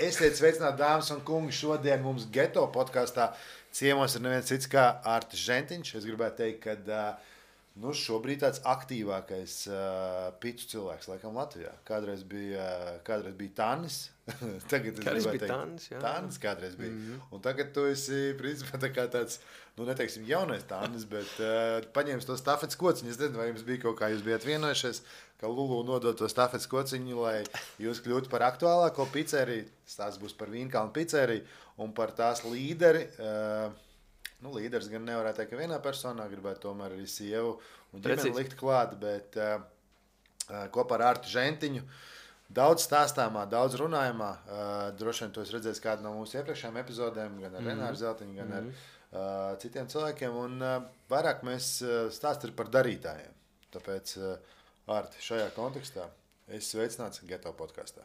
Esiet sveicināti, dāmas un kungi. Šodien mums Geto podkāstā ciemos ir neviens cits kā Artis Žentiņš. Es gribētu teikt, ka šobrīd tāds aktīvākais pitu cilvēks laikam Latvijā. Kādreiz bija Tānis. Tagad es gribētu teikt Tānis, jā. Tānis kādreiz bija. Un tagad tu esi principā tā kā tāds, neteiksim jaunais Tānis, bet paņēmis to stafetes kociņu. Es nezinu, vai jums bija kaut kā, jūs bijat vienojušies, ka Lulu nodot to stafetes kociņu, lai jūs kļūtu par aktuālāko pizzeriju. Tās būs par Vīnkalnu pizzeriju un par tās līderi. Līderis gan nevarētu teikt, ka vienā personā gribētu tomēr arī sievu un ģimeni likt klāt, bet kopā ar Artu Žentiņu daudz stāstāmā, daudz runājumā. Droši vien to es redzēju kādu no mūsu iepriekšējām epizodēm, gan ar Renāru Zeltiņu, gan ar citiem cilvēkiem. Un vairāk mēs stāstam par darītājiem. Tāpēc, Arti, šajā kontekstā es sveicināts Geto podkāstā.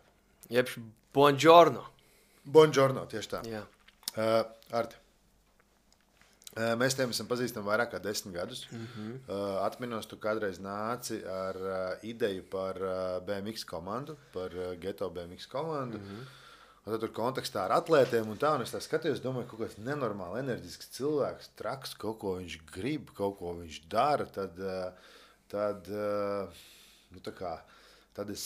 Jeb buongiorno. Buongiorno, tieši tā. Jā. Arti, mēs tiem esam pazīstami vairāk kā 10 gadus. Atminos, tu kādreiz nāci ar ideju par BMX komandu, par Geto BMX komandu. Un tad tur kontekstā ar atlētiem un tā, un es tā skatījos, domāju, kaut kāds nenormāli enerģisks cilvēks, traks, kaut ko viņš grib, kaut ko viņš dara, tad es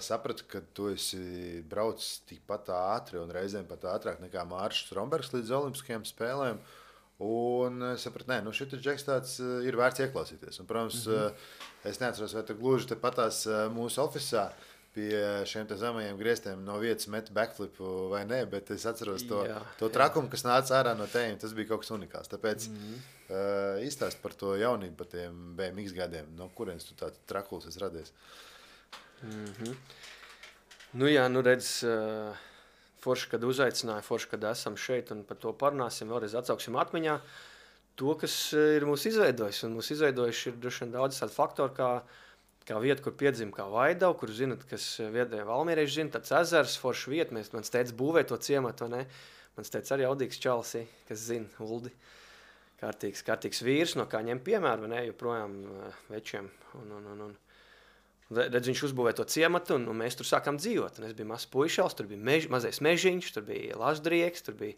sapratu, ka tu esi braucis tikpat ātri un reizēm pat ātrāk nekā Māršs Strombergs līdz Olimpiskajām spēlēm. Un es sapratu, šitas džeks tāds ir vērts ieklausīties. Un, protams, es neatceros, vai tu gluži te patās mūsu ofisā pie šiem te zemajiem griestiem no vietas met backflipu vai ne, bet es atceros to trakumu, kas nāca ārā no tējiem. Tas bija kaut kas unikāls. Tāpēc izstāst par to jaunību, par tiem BMX gadiem. No kurienes tu tāds trakuls esi radies? Redz, forši, kad uzaicināja, forši, kad esam šeit un par to parunāsim, vēlreiz atsauksim atmiņā to, kas ir mūs izveidojis. Un mūs izveidojuši ir droši vien daudz tādu faktoru, kā vieta, kur piedzim kā Vaidau, kur zinat, kas viedēja Valmierieši zina, tāds ezers, forši vieta. Mans teica būvēja to ciematu, vai ne? Mans teica arī Audīgs Čalsi, kas zina, Uldi. Kārtīgs vīrs, no kā ņem piemēru, vai ne, joprojām večiem. Redz, viņš uzbūvēja to ciematu, un mēs tur sākām dzīvot. Un es biju mazs puišals, tur bija mazais mežiņš, tur bija Laždrieks, tur bija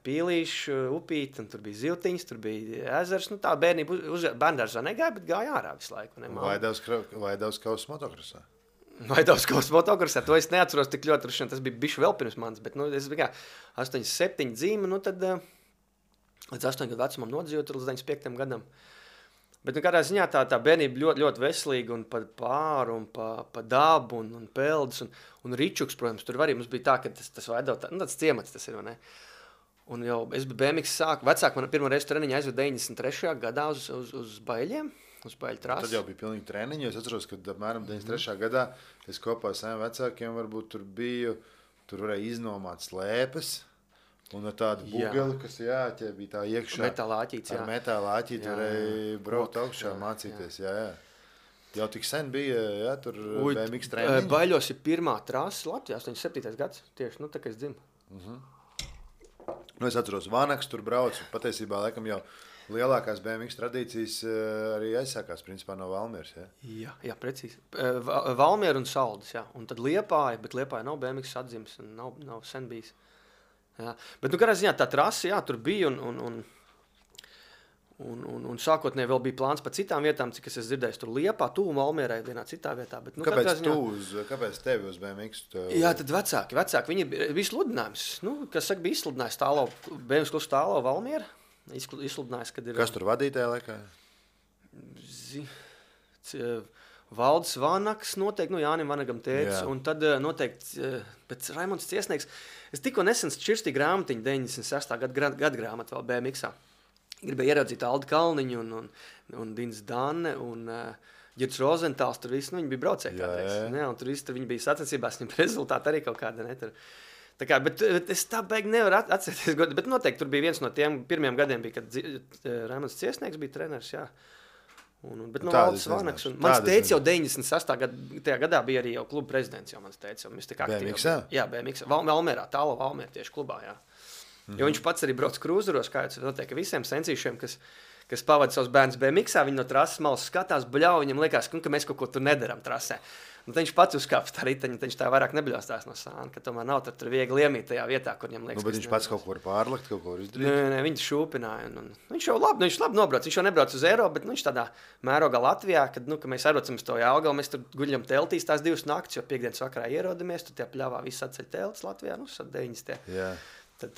pīlīši, upīti, un tur bija ziltiņas, tur bija ezers. Tā bērnība bērndārzā negāja, bet gāja ārā visu laiku. Vaidavs Kaus motokrosā? Vaidavs Kaus motokrosā, to es neatceros tik ļoti, tas bija bišķi vēl pirms manis, bet es biju 8-7 dzīme, tad līdz 8 gadu vecumam nodzīvot līdz 95 gadam. Bet kādā ziņā tā bērnība ļoti, ļoti veselīga un pa pāru un pa dabu un peldas un ričuks, protams, tur arī mums bija tā, ka tas Vaidau, tāds ciemats tas ir, vai ne? Un jau es biju BMX vecāk, man pirmo reizi treniņu aizved 93. gadā uz Baļiem, uz Baļu trasi. Tad jau bija pilnīgi treniņi, es atceros, ka apmēram 93. gadā es kopā ar saviem vecākiem varbūt tur biju, tur varēja iznomāt slēpes. Un ar tādu bugeli, kas tie bija tā iekšā. Metālāķīts, ar metālāķīti varēja braukt augšā, mācīties, jā. Jau tik sen bija, tur BMX treniņi. Baļos ir pirmā trasa Latvijā, 87. gads, tieši, tā kā es dzimu. Es atceros, Vanaks tur brauc, patiesībā laikam jau lielākās BMX tradīcijas arī aizsākās, principā, no Valmieras, jā? Jā, precīzi. Valmiera un Saldis, jā. Un tad Liepāja, bet Liepāja nav BMX atdzimis un nav sen bijis. Jā. Bet, kādā ziņā tā trasa, tur bija un sākotnēji vēl bija plāns pa citām vietām, cik es dzirdēju, tur Liepā, tuvu Valmierai vienā citā vietā. Bet, kāpēc tevi uz BMX? Jā, tad vecāki, viņi bija sludinājums. Kas saka, bija izsludinājis BMX klusu tālo Valmiera. Izsludinājis, kad ir... Kas tur vadītāja laikā? Valdis Vanaks noteikti, Jānim Vanagam tēcis, un tad noteikti pēc Raimonds Ciesnieks. Es tikko nesen šķirstīju grāmatiņu 96. gada grāmatu vēl BMX-ā. Gribēju ieraudzīt Aldi Kalniņu un Dins Danne un Girts Rozentāls, tur visi, viņi bija braucēji kādreiz. Un tur visi, viņi bija sacensībās, viņam rezultāti arī kaut kāda, ne? Tā kā, bet es tā beigi nevaru atcerēties, bet noteikti tur bija viens no tiem pirmiem gadiem, bija, kad Raimonds Ciesnieks bija treneris, jā. Bet Valdis Vanaks un mans teicis jau 96. gadā bija arī jau kluba prezidents, jau mans teicis, jau mēs tik aktīvi. BMX-ā? Jā, BMX, Valmierā, tālo Valmiera tieši klubā, jā. Jo viņš pats arī brauc krūzeros, kā jau noteikti visiem sensīšiem, kas pavada savus bērnus BMX-ā, viņi no trases malas skatās, bļauj, viņam liekas, ka mēs kaut ko tur nedaram trasē. Un viņš pats uzkāpa tā riteņa, viņš tā vairāk nebļaustās no sāna, ka tomēr nav tur viegli iemīt tajā vietā, kur viņam liekas. Bet viņš pats kaut ko var pārlikt, kaut ko var izdarīt? Nē, viņš šūpināja. Un viņš jau labi nobrauc. Viņš jau nebrauc uz Eiropu, bet viņš tādā mērogā Latvijā, kad mēs aizbraucam uz to Jelgavu, mēs tur guļam teltīs tās 2 naktis, jo piekdienas vakarā ierodamies, tur tie pļāvā viss atceļ teltis Latvijā, 9. Jā. Tad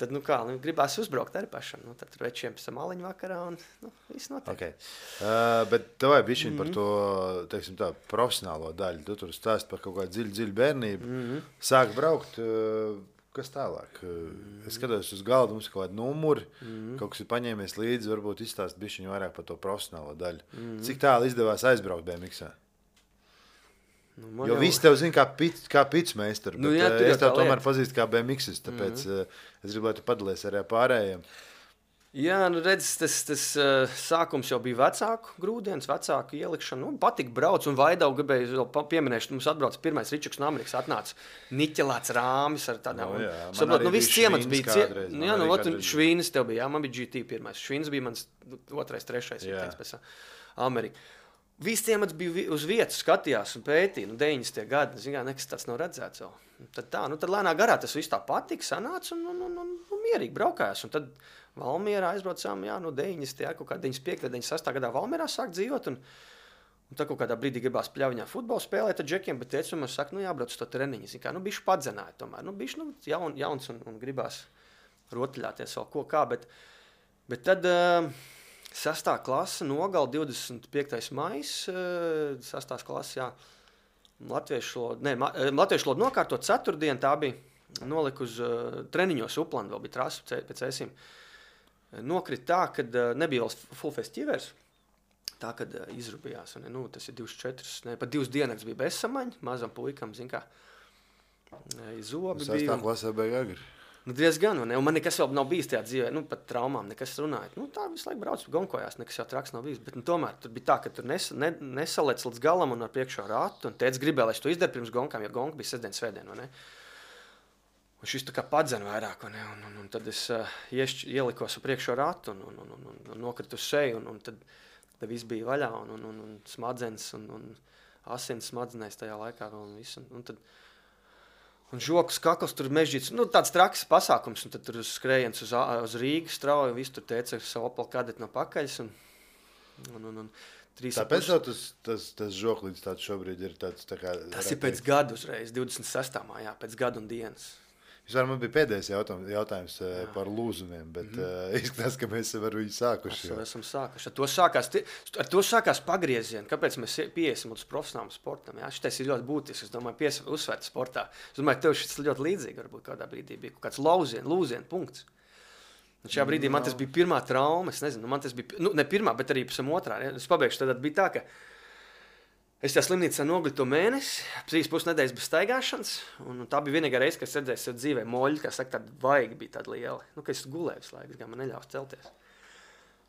gribās uzbraukt arī pašam. Tad tur večiem pēc maliņu vakarā un viss notiek. Okay. Bet tev vajag bišķiņ par to, teiksim tā, profesionālo daļu. Tu tur stāst par kaut kādu dziļu bērnību. Sāk braukt, kas tālāk? Es skatos uz galdu, mums ir kaut kādi numuri, kaut kas ir paņēmies līdzi, varbūt izstāst bišķiņ vairāk par to profesionālo daļu. Cik tālu izdevās aizbraukt BMX-ā? Jo visi tev zina kā pitsmeistaru, bet es tev tomēr pazīstu kā BMX-is, tāpēc es gribu, lai tu padalies arī pārējiem. Jā, redz, tas sākums jau bija vecāku grūdienas, vecāku ielikšana. Patika brauc un Vaidau gribēju pieminēt, mums atbrauc pirmais Ričuks no Amerikas, atnāca niķelēts rāmis ar tādām. Viss ciemats bija. Švīnis tev bija, man bija GT pirmais. Švīnis bija mans 2., 3. ritenis pēc Amerikas. Viss ciemats bija uz vietas, skatījās un pētīja, 90. gadi, nekas tāds nav redzēts vēl. Tad lēnā garā tas viss tā patika, sanāca un mierīgi braukājās. Un tad Valmierā aizbraucām, 90. kaut kā 95. 96. gadā Valmierā sāk dzīvot. Un tad kaut kādā brīdī gribās pļaviņā futbolu spēlēt ar džekiem, bet teicu, man saka, jābrauc uz to treniņu. Bišķi padzināja tomēr. Bišķi jauns un gribās rotaļāties vēl ko kā, bet tad... 6. klase, Nogala 25. maijs, 6. klase, jā, latviešu lodu nokārtot 4. tā bija, noliku uz treniņos Uplandu, vēl bija trasa pēc esīm. Nokrit tā, kad nebija vēl full festivers, tā, kad izrubījās, un, tas ir 24, pat 2 dienas bija bezsamaņa, mazam puikam, zin kā, zobi bija. 6. klasē bija agri. Diezgan, un man nekas vēl nav bijis tajā dzīvē, pat traumām nekas runājot. Tā visu laiku brauc, gonkojās, nekas jau traks nav bijis, bet tomēr tur bija tā, ka tur nesalēc līdz galam un ar priekšā ratu, un tēdz gribēja, lai es to izdaru pirms gonkām, jo gonka bija sestdien, svētdien, Un šis tā kā padzena vairāk, un tad es ielikos ar priekšā ratu un nokritu uz seju, un tad viss bija vaļā, un smadzenes, un asins smadzenēs tajā laikā vēl, un viss, un tad... Un žokas kakls tur mežģīts, tāds traks pasākums, un tad tur skrējiens uz Rīgas strauju, visu tur teica ar savu Opel Kadeti no pakaļas, un 3. Tāpēc tas žoklīds tāds šobrīd ir tāds tā kā... Tas ir pēc gadu uzreiz, 26. mājā, pēc gadu un dienas. Man bija pēdējais jautājums par lūzumiem, bet izskatās, ka mēs ar viņu sākuši. Esam sākuši. Ar to sākās pagriezieni. Kāpēc mēs pieiesim uz profesionālam sportam? Šitais ir ļoti būtisks. Es domāju, uzsvērt sportā. Es domāju, tev šis ļoti līdzīgi. Varbūt kādā brīdī bija kaut kāds lūzienu punkts. Un šajā brīdī man tas bija pirmā trauma. Es nezinu, man tas bija, ne pirmā, bet arī pēc otrā. Es pabeigšu, tad bija tā, ka es tajā slimnīcā nogļu to mēnesi, 3,5 nedēļas bez staigāšanas, un tā bija vienīgā reize, kad es redzēju sev dzīvē moļi, kā saka, tāda vaiga bija tāda liela. Ka es gulēju visu laiku, man neļaus celties.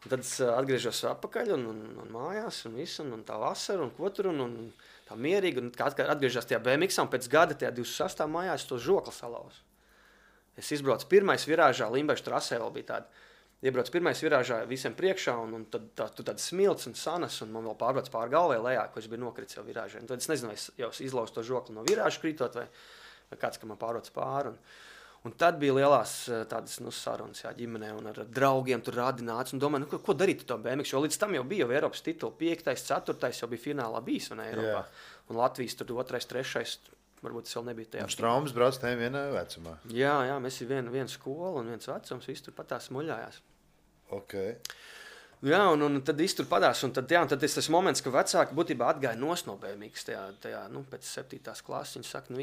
Un tad es atgriežos atpakaļ un mājās, un visu, un tā vasara, un ko tur, un tā mierīgi, un kā atgriežos tajā BMX-ā, un pēc gada tajā 26. mājā es to žokli salauzu. Es izbraucu pirmais virāžā, Limbešu trasē vēl bija tāda. Iebrauc pirmais virāžā visiem priekšā, un tad tu tāds smilts un sanas, un man vēl pārbrauc pār galvai lejā, ko es biju nokritis jau virāžā. Un tad es nezinu, vai es jau izlauzu to žokli no virāža krītot, vai kāds, ka man pārbrauc pāri. Un tad bija lielās tādas sarunas ģimenē, un ar draugiem tur rādināts, un domāju, ko darīt to BMX, jo līdz tam jau bija jau Eiropas titulu 5., 4. jau bija finālā bijis, un Eiropā. Un Latvijas tur 2., 3. varbūt tas vēl nebija tajā. Un Straumes brauc tajā vienā vecumā. Jā, mēs ir viena skola un viens vecums, viss tur patās muļājās. Okay. Jā, un tad viss tur padās, un tad ir tas moments, ka vecāki būtībā atgāja no BMX tajā, pēc 7. klases. Viņi saka,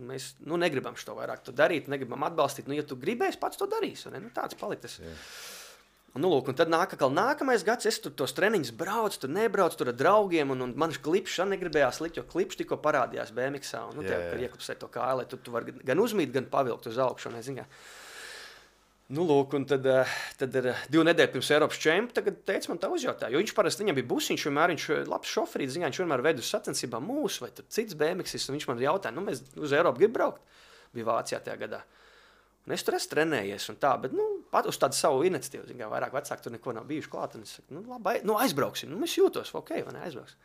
mēs negribam šo vairāk to darīt, negribam atbalstīt. Ja tu gribēsi, pats to darīsi. Tāds paliks. Un tad nākamais gads, es tur tos treniņus braucu, tur nebraucu, tur ar draugiem, un man klipšs negribējās likt, jo klipšs tikko parādījās BMX-ā. Tev iekupsē to kāju, lai tu vari gan uzmīt, gan pavilkt uz augšu. Un tad 2 nedēļas pirms Eiropas čempiona tagad teica man tā uzjautāja, jo viņš parasti viņam bija busiņš, viņš labs šoferīts, viņš vienmēr ved uz sacensībām mūsu vai cits BMX-is, un viņš man jautāja, mēs uz Eiropu grib braukt, bija Vācijā tajā gadā. Un es tur esmu trenējies un tā, bet pat uz tādu savu iniciatīvu, vairāk vecāki tur neko nav bijuši klāt, un es saku, labi, aizbrauksim, es jūtos, ok, vai ne, aizbrauksim.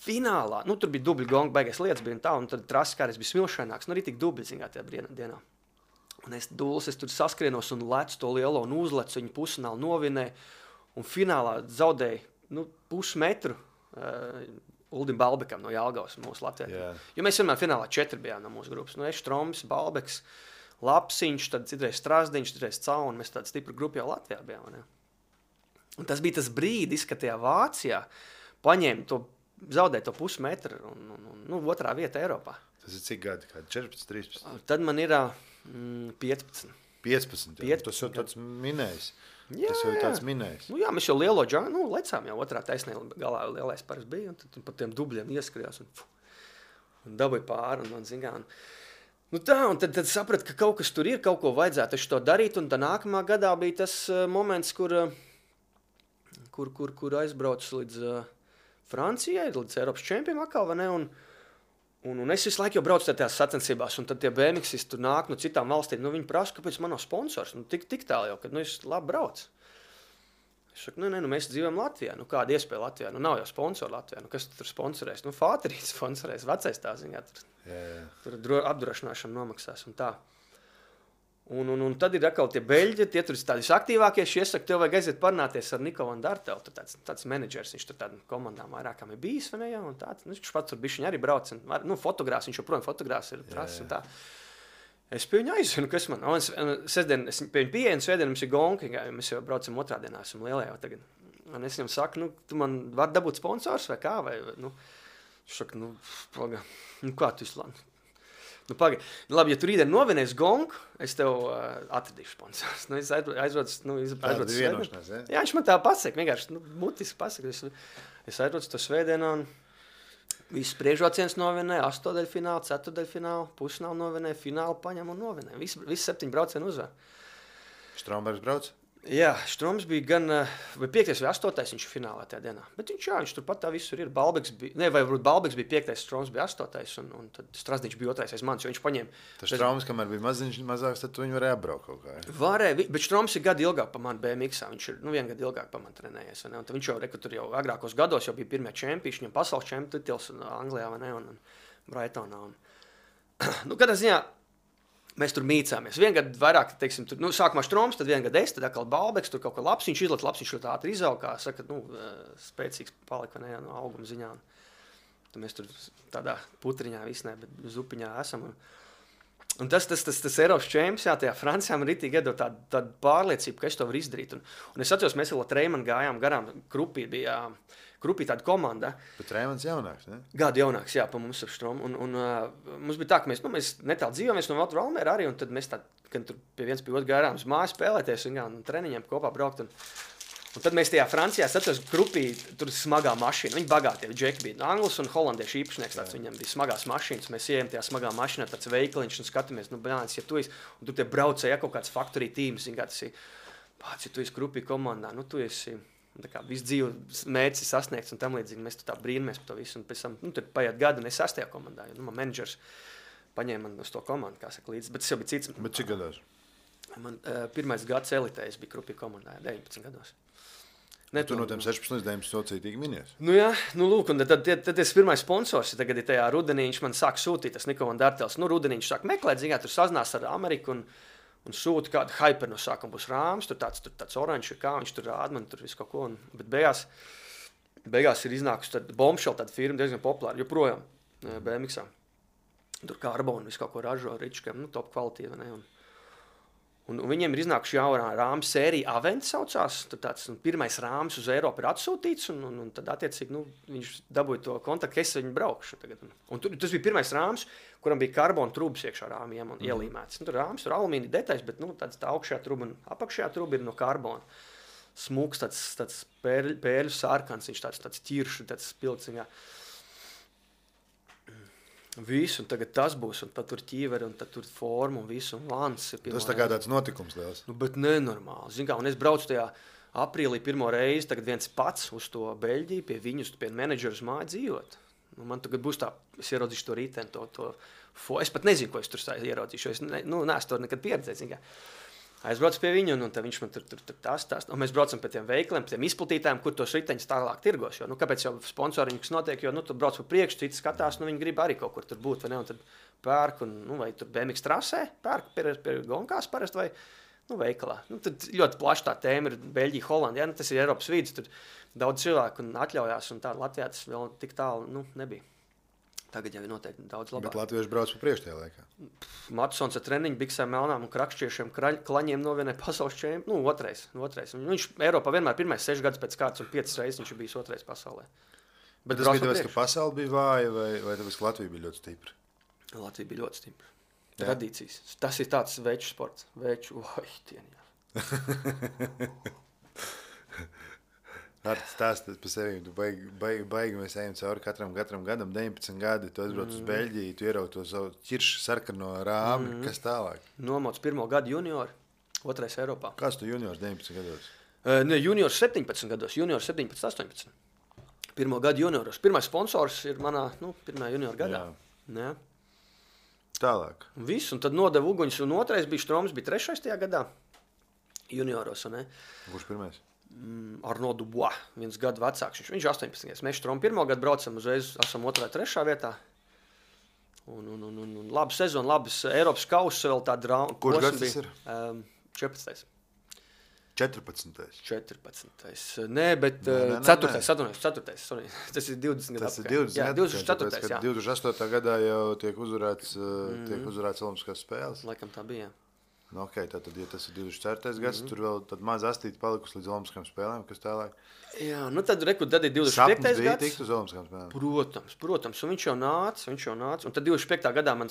finālā, tur bija dubļu gonga, baigais lietas bija un tā, un tad trases kādreiz bija smilšaināks, arī tik dubļi, tajā dienā. Un es tur saskrienos un lecu to lielo un uzlecu, viņu pusfinālu novinēju, un finālā zaudēju, pusmetru Uldim Balbekam no Jālgavas mūsu Latvijā. Yeah. Jo mēs vienmēr finālā 4 bijām no mūsu grupas. Es, Štroms, Balbeks, Lapsiņš, tad citreiz Strasdiņš, citreiz Cau, un mēs tāda stipra grupa jau Latvijā bijām. Ne? Un tas bija tas brīdis, kad tajā Vācijā paņēma to, zaudēja to pusmetru un otrā vieta Eiropā. Tas ir cik gadi? 14, 13? Tad man ir 15. 15. Tas jau tāds minējis. Jā, tas jau ir tāds minējis. Jā, mēs jau lielo džānu, lecām jau otrā taisnē galā lielais paras bija, un tad pa tiem dubļiem ieskrījās un dabūja pāri un zingā. Un tad sapratu, ka kaut kas tur ir, kaut ko vajadzētu to darīt, un tā nākamā gadā bija tas moments, kur aizbrauc līdz Francijai, līdz Eiropas čempionam atkal, vai ne, un es visu laiku jau braucu tajās sacensībās, un tad tie BMXisti tur nāk no citām valstīm, viņi prasa, kāpēc man nav sponsors, tik tālu jau, kad es labi braucu. Es saku, mēs dzīvojam Latvijā, kāda iespēja Latvijā, nav jau sponsori Latvijā, kas tur sponsorēs, Fāterīts sponsorēs, vecais tā ziņā, tur apdrošināšana nomaksās un tā. Un tad ir atkal tie beļģi, tie tur ir tādi aktīvākie, es iesaku, tev vajag aiziet parunāties ar Niko Van Dartelu, tāds menedžers, viņš tur tādām komandām vairākām ir bijis, vai ne, jā, un tāds, viņš pats tur bišķiņ arī brauc, fotogrāfs, viņš joprojām fotogrāfs ir trases un tā. Es pie viņu aizvinu, kas man, sestdien, es pie viņu pieeju, un svētdien mums ir gonki, jo mēs jau braucam otrā dienā, esam lielajā tagad. Un es viņam saku, tu man var dabūt sponsors vai kā, vai, viņš saka, paga, kā tu izlāni? Pagaid. Labi, ja tu rītdien novinēs gongu, es tev atradīšu sponsors. Es aizrodu vienošanās, ja? Jā, viņš man tā pasaka, vienkārši mutiski pasaka. Es aizrodu to svētdienā un visus priekšrocienas novinēju, 8. finālu, 4. finālu, pusfinālu novinēju, finālu paņem un novinēju. Visi 7 braucieni uzvar. Strombergs brauc? Jā, Štroms bija gan 5. vai 8. viņš finālā tajā dienā. Bet viņš turpat tā visur ir. Balbeks bija, vai varbūt Balbeks bija 5. Štroms bija 8. un tad Strasdiņš bija 2. aiz manis, jo viņš paņēma. Tas Štroms, kamēr bija mazāks, tad tu viņu varēja apbraukt kaut kā. Varēja, bet Štroms ir gadu ilgāk par mani BMX-ā. Viņš ir 1 gadu ilgāk par mani trenējies. Un tad viņš tur jau agrākos gados jau bija pirmie čempioni, viņam pasaules čempionu titls Anglijā un Brightonā. Kādā ziņā mēs tur mīcāmies. 1 gadu vairāk, teiksim, tur, sākumā Štroms, tad 1 gadu es, tad atkal Balbeks, tur kaut kā Lapsiņš ļoti ātri izaug, kā saka, spēcīgs palika, vai ne, no auguma ziņā. Tad mēs tur tādā putriņā visnē, bet zupiņā esam. Un tas Eiropas čempions, jā, tajā Francijā man ritīgi iedod tādu pārliecību, ka es to varu izdarīt. Un es atceros, mēs vēl ar Treimanu gājām garām, Krupī tāda komanda. Bet Treimans jaunāks, ne? Gadu jaunāks, jā, pa mums ar Štromu. Un mums bija tā, ka mēs netālu dzīvojamies no Valtra Valmēra arī, un tad mēs kad tur pie viens pie otru gājām uz māju spēlēties un treniņiem kopā braukt. Un tad mēs tajā Francijā atceros Krupī, tur smagā mašīna. Viņi bagātie, džeki bija Anglis un holandiešu īpašnieks, tāds viņam bija smagās mašīnas. Mēs ejam tajā smagā mašīnā, tāds veikaliņš un skatāmies, bļāns, ja tu esi, un tur tie braucēja kaut kāds factory teams, tas ir, pats, ja tu esi Krupī komandā, tu esi, tā kā visu dzīvi mērķis sasniegts un tam līdzīgi, mēs tā brīnamies par to visu, un pēc tam, tad paiet gadu, un es 6. komandā, jo, man menedžers paņēma man uz to komandu, kā saka, līdzi, bet tas jau bija cits. Bet cik gados? Man 1. gads elitē, es biju Krupī komandā, 19 gados. Tu no tiem 16 līdz 19 sociātīgi minies? Jā, lūk, un tad tas pirmais sponsors, tagad ir tajā rudenī, viņš man sāk sūtīt, tas Niko Van Dartels, rudenī viņš sāk meklēt, zināt, tur sazinās ar Ameriku un sūta kādu hyper no sākuma būs rāms, tur tāds oranžs, kā viņš tur rāda, man tur visu kaut ko, bet beigās ir iznākusi tāda Bombshell, tāda firma diezgan populāra, joprojām BMX-ā. Tur karbonu visu kaut ko ražo, ričkiem, top kvalitīva, ne, un viņiem ir iznākuši jaunā rāmas sērija Avent saucās, tur tāds pirmais rāms uz Eiropu ir atsūtīts, un tad attiecīgi, viņš dabūja to kontaktu, ka es viņu braukšu tagad. Un tas bija pirmais rāms, kuram bija karbona trūbas iekšā rāmiem un ielīmēts. Tur rāms, tur alumīnija detaļas, bet tā augšējā trūba un apakšējā trūba ir no karbona. Smuks, tāds pērļu sārkans, viņš tāds ķiršu, tāds spilciņā. Visu, un tagad tas būs, un tad tur ķīveri, un tad tur forma, un visu, un vans ir pirmo reizi. Tas tā kā tāds notikums liels. Bet nenormāli. Zin kā, un es braucu tajā aprīlī pirmo reizi, tagad viens pats uz to Beļģiju, pie viņus, pie menedžeru māju dzīvot. Man tagad būs tā, es ieraudzīšu to rīteni, es pat nezinu, ko es tur ieraudzīšu, es neesmu to nekad pieredzējis. Aizbraucu pie viņa, un viņš man tur tās. Un mēs braucam pie tiem veikaliem, pie tiem izplatītājiem, kur tos riteņus tālāk tirgos. Jo, kāpēc jau sponsoriņš, kas notiek, jo tu brauc pa priekšu, citi skatās, viņi grib arī kaut kur tur būt, vai ne? Un tad pērk, vai tur BMX trasē, pērk pie gonkās parasti, vai veikalā. Tad ļoti plaši tā tēma ir Beļģija, Holandija. Tas ir Eiropas vidus, tur daudz cilvēku un atļaujās, un tā Latvijā tas vēl tik tālu nebija. Tagad jau ir noteikti daudz labāk. Bet latvieši brauc pa priekšu tajā laikā. Matsons ar treniņu, biksēm, melnām un krakšķiešiem klaņiem novienē pasaules čempionu. Otrais. Viņš Eiropā vienmēr 6 gadus pēc kārtas un 5 reizes viņš ir bijis otrais pasaulē. Bet tas bija tāpēc, ka pasaule bija vāja vai tāpēc, ka Latvija bija ļoti stipra? Latvija bija ļoti stipra. Tradīcijas. Tas ir tāds veču sports. Artis stāstīt par sevi, tu baigi mēs ejam cauri katram gadam, 19 gadi, tu aizbrauc uz Beļģiju, tu ieraugi to savu ķiršu sarkano rāmi, kas tālāk? Nomots 1. gadu juniori, 2. Eiropā. Kāds tu juniors 19 gados? Juniors 17 gados, juniors 17, 18. 1. gadu junioros. Pirmais sponsors ir manā, 1. junior gadā. Jā. Tālāk. Viss, un tad nodeva uguņus, un 2. bija Štroms, bija 3. tajā gadā junioros, un ne? Kurš pirmais? Arno Dubois, 1 gadu vecāks. Viņš 18. Mēs Štromu 1. gadu braucam, uzreiz esam 2. 3. vietā. Un labi sezonu, labas Eiropas kausa vēl tā drauma. Kurš gads tas ir? 14. 14. Nē, bet 4. Sorry. Tas ir 20 gadu. Tas ir 20 jā, 24. Kad 28. gadā jau tiek uzvarēts Olimpiskās spēles. Laikam tā bija, jā. Tātad, ja tas ir 24. gads, tur vēl tad maz astīti palikusi līdz Olimpiskām spēlēm, kas tālāk? Jā, tad ir 25. Sapnis bija gads. tikt uz Olimpiskām spēlēm? Protams, un viņš jau nāca. Un tad 25. gadā man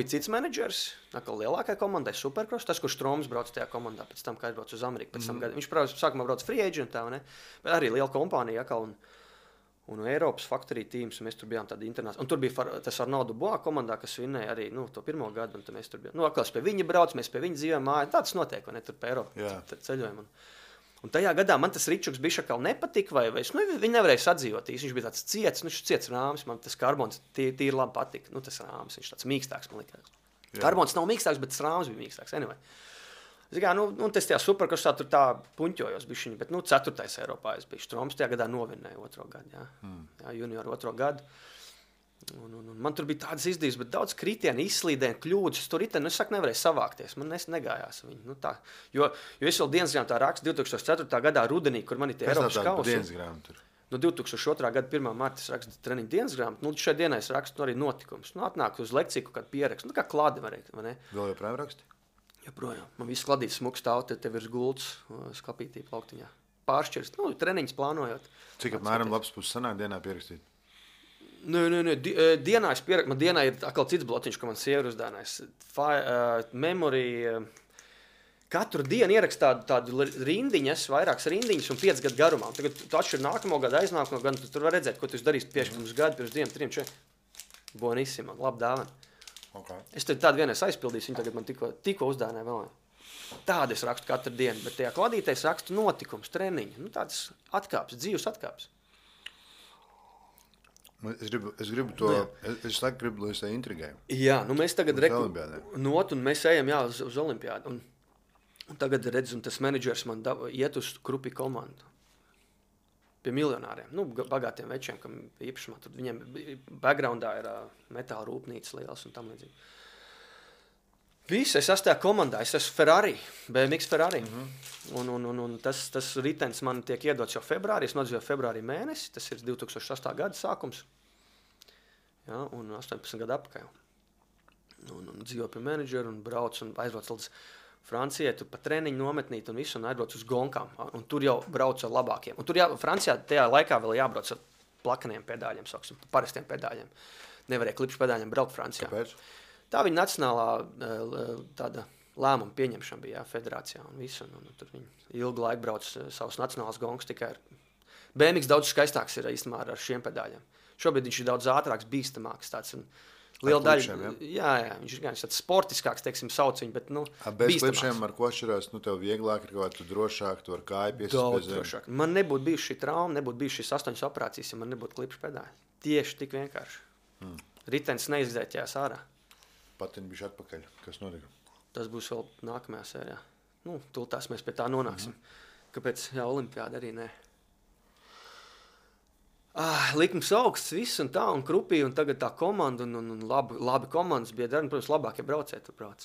bija cits menedžers, lielākai komandai, Supercross, tas, kurš Štroms brauc tajā komandā, pēc tam, kā aizbrauc uz Ameriku. Viņš sākumā brauc free agent, bet arī liela kompānija, un Eiropas Factory teams, un mēs tur bijām tādi internacionāli. Un tur bija tas Arno Dubois komandā, kas vinēja arī to 1. gadu, un tad mēs tur bijām. Atkal pie viņa brauc, mēs pie viņa dzīvojam mājā. Tāds notiek, vai ne, tur pie Eiropas ceļojam. Un tajā gadā man tas Ričuks bišķakal nepatika, vai viņi nevarēja sadzīvot. Viņš bija tāds ciets rāms, man tas karbons tīri labi patika. Tas rāms, viņš tāds mīkstāks, man likās. Karbons nav mīkstāks, bet tas rāms bija mīkstāks. Anyway. Tas tajā Supercrossā tur tā puņķojos bišķiņi, bet 4. Eiropā es biju. Štroms tajā gadā novinēja 2. gadu, jā, junioru 2. gadu. Un man tur bija tādas izdevības, bet daudz kritienu, izslīdēju, kļūdas. Tur es nevarēju savākties, man negājās viņi. Jo es vēl dienas grāmatā rakstu 2004. gadā rudenī, kur man ir tie Eiropas kausi. 2002. gada 1. marta es rakstu treniņu dienas grāmatu. Šai dienai es rakstu arī notikumus. Atnāk uz lekciju kaut kādu pierakstu. Kā klādi varēja, vai ne? Vēl joprojām raksti? Joprojām. Man viss kladīts smuks stāv, tev ir gults, skapītī plauktiņā. Pāršķirst, treniņus plānojot. Cik apmēram labs puses sanāk dienā pierakstīt? Nē. Dienā es pierakstu. Man dienā ir atkal cits blotiņš, ko man sieva ir uzdānājis. Memory. Katru dienu ierakstu tādu rindiņas, vairākas rindiņas un 5 gadu garumā. Un tagad tu atšķir nākamo gadu, aiznākamo gadu, tu tur var redzēt, ko tu darīsi pirms gadu, pirms 2, 3, 4. Bonissima, labi dāvana. Okay. Es tādu vienreiz aizpildīju, viņi tagad man tikko uzdāvināja vēl. Tādu es rakstu katru dienu, bet tajā kladītē es rakstu notikums, treniņu. Tādas atkāpes, dzīves atkāpes. Es gribu to, es gribu, lai es tā intrigēju. Jā, mēs tagad un mēs ejam uz olimpiādu. Un tagad redz, un tas menedžers man iet uz Krupi komandu. Pie miljonāriem, bagātiem večiem, kam īpašumā. Tur viņiem backgroundā ir metāla rūpnīcas liels un tam līdzīgi. Viss, es esmu tajā komandā, es esmu Ferrari, BMX Ferrari. Un tas ritens man tiek iedots jau februārī, es nodzīvoju februārī mēnesi, tas ir 2008. gada sākums. Jā, un 18 gadu apakaļ. Un dzīvoju pie menedžera un brauc un aizbrauc līdz Francijai, tur pa treniņu nometnīt un visu, un aizbrauc uz gonkām. Un tur jau brauc ar labākiem. Un tur Francijā tajā laikā vēl jābrauc ar plakaniem pedāļiem, sauksim, parastiem pedāļiem. Nevarēja klipšu pedāļiem braukt Francijā. Kāpēc? Tā viņa nacionālā tāda lēmuma pieņemšana bija federācijā un visu. Un tur viņi ilgu laiku brauc savus nacionālus gongus tikai ar... BMX daudz skaistāks ir īstenībā ar šiem pedāļiem. Šobrīd viņš ir daudz ātrāks, bīstamāks tāds. Liela daļa, jā, viņš ir tāds sportiskāks, teiksim, sauc viņu, bet, bez klipšiem ar ko atšķirās, tev vieglāk ir kaut kā, tu drošāk, tu ar kāju piesist. Daudz drošāk. Man nebūtu bijuši šī trauma, nebūtu bijuši šīs 8 operācijas, ja man nebūtu klipšu pedāļi. Tieši tik vienkārši. Ritens neizdzēķējās ārā. Patiņi bišķi atpakaļ. Kas notika? Tas būs vēl nākamajā sērijā. Nu, tūltās mēs pie tā nonāksim. Kāpēc? Jā, olimpiāda arī nē. Likums augsts, viss un tā, un krupī, un tagad tā komanda, un labi komandas bija, protams, labākie braucēji tur brauc.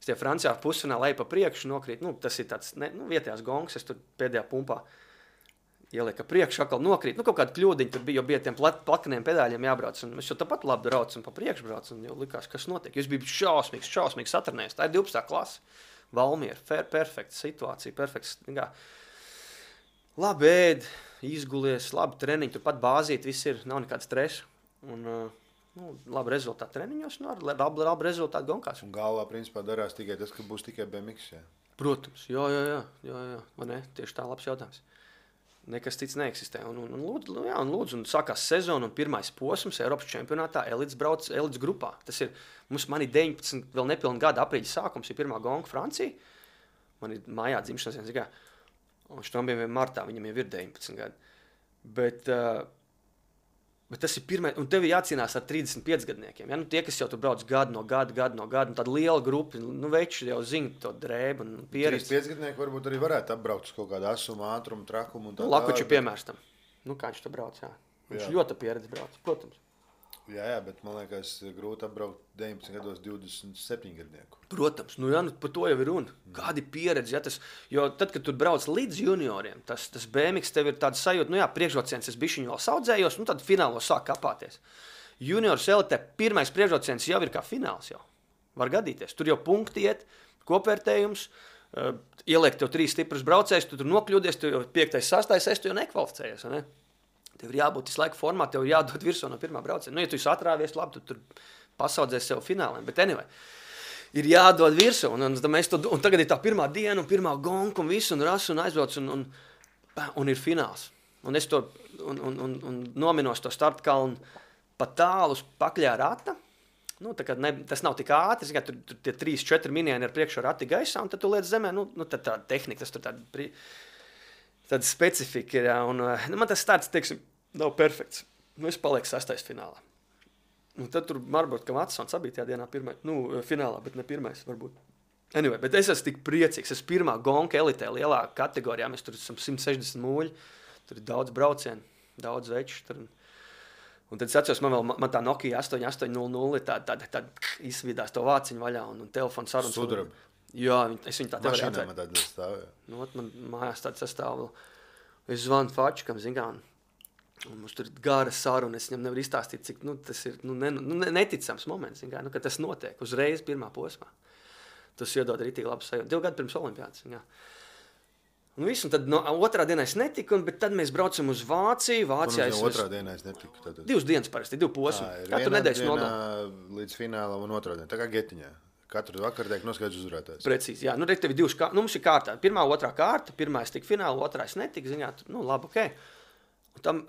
Es tie Francijā pusfinālā eju pa priekšu nokrīt, nu, tas ir tāds, vietējās gongs, es tur pēdējā pumpā ielieku priekšu, atkal nokrīt, nu, kaut kāda kļūdiņa tur bija, jo bija tiem plakaniem pedāļiem jābrauc, un es jau tāpat labi braucu un pa priekšu braucu, un jau likās, kas notiek. Es biju šausmīgs satrunējis, tā ir 12. klase, Valmiera, perfekta situācija, perfekts, labi ēd, izgulies, labi treniņi, turpat bāzīt, viss ir, nav nekāds stresa. Un, labi rezultāti treniņos, labi rezultāti gonkās. Un galvā, principā, darās tikai tas, ka būs tikai BMX, jā? Protams, jā. Vai ne? Tieši tā labs jautājums. Nekas cits neeksistē. Un lūdzu, un sākās sezona un pirmais posms Eiropas čempionātā elites grupā. Tas ir, man ir 19, vēl nepilni gada aprīļa sākums, ir pirmā gonka Francija. Man ir mājā dzimšanas dienas, un Štrombiem martā, viņam jau ir 19 gadi. Bet tas ir pirmais, un tev ir jācīnās ar 35 gadniekiem. Ja? Nu, tie, kas jau tur brauc gadu no gada, un tāda liela grupa, veči jau zina to drēbu un pieredzi. 35 gadnieki varbūt arī varētu apbraukt uz kaut kādu asumu, ātrumu, trakumu un tā. Lakuči piemērs tam. Kā viņš to brauc, jā. Viņš ļoti pieredzi brauc, protams. Jā, bet man liekas, grūti apbraukt 19 gados 27 gadnieku. Protams, par to jau ir runa. Kādi pieredzi, jo tad, kad tu brauc līdz junioriem, tas BMX tev ir tāds sajūta, priekšrocienis es bišķiņu vēl saudzējos, tad finālos sāk kapāties. Juniors elitē pirmais priekšrocienis jau ir kā fināls jau. Var gadīties. Tur jau punkti iet, kopvērtējums, ieliek tev 3 stiprus braucējus, tu tur nokļūdies, tu jau 5. 6. tu jau nekvalificējies, ne? Tev ir jābūt visu laiku formā, tev ir jādod virsū no pirmā brauciena. Ja tu esi atrāvies, labi, tu tur pasaudzēsi sev fināliem. Bet anyway, ir jādod virsū. Un tagad ir tā pirmā diena, un pirmā gonka, un viss, un rasu, un aizbrauc, un ir fināls. Un es to nominos to startkalnu pa tālu uz pakļā rata. Tas nav tik ātri, tur tie 3-4 minieni ir priekšā rati gaisā, un tad tu liec zemē, tad tā tehnika, tas tur tāda specifika ir, un man tas starts, teiksim, nav perfekts. Es palieku 6. finālā. Un tad tur Marburg Kamatsons bija tajā dienā finālā, bet ne pirmais varbūt. Anyway, bet es esmu tik priecīgs. Es pirmā gonka elitē lielā kategorijā, mēs tur esam 160 mūļi, tur ir daudz braucienu, daudz veču. Un tad es atceros, man tā Nokia 8800 ir tāda izvidās to vāciņu vaļā un telefonu sarunas. Sudraba. Jā, es viņu tā tev arī atvēru. Mašīnā man tāda stāv, jā. Man mājās tāda sastāv. Es zvanu Fačikam, un mums tur ir gara saruna, es viņam nevaru izstāstīt, cik tas ir neticams moments, ka tas notiek uzreiz pirmā posmā. Tas iedod rītīgi labu sajūtu. 2 gadi pirms olimpiādas. Un viss, un tad otrā dienā es netiku, bet tad mēs braucam uz Vāciju. Vācijā otrā dienā es netiku. Tad... 2 dienas parasti, 2 posmi. Katru nedēļas nogalē. Līdz fināla un otrā dienā, tā kā getiņā. Katru vakaru tiek noskaidrs uzvarētājs. Precīzi, jā. Tev ir 2 kārtas. Mums ir kārtā. Pirmā, otrā kārta. Pirmā es tiku finālā, otrā es netiku. Labi, ok. Un tam,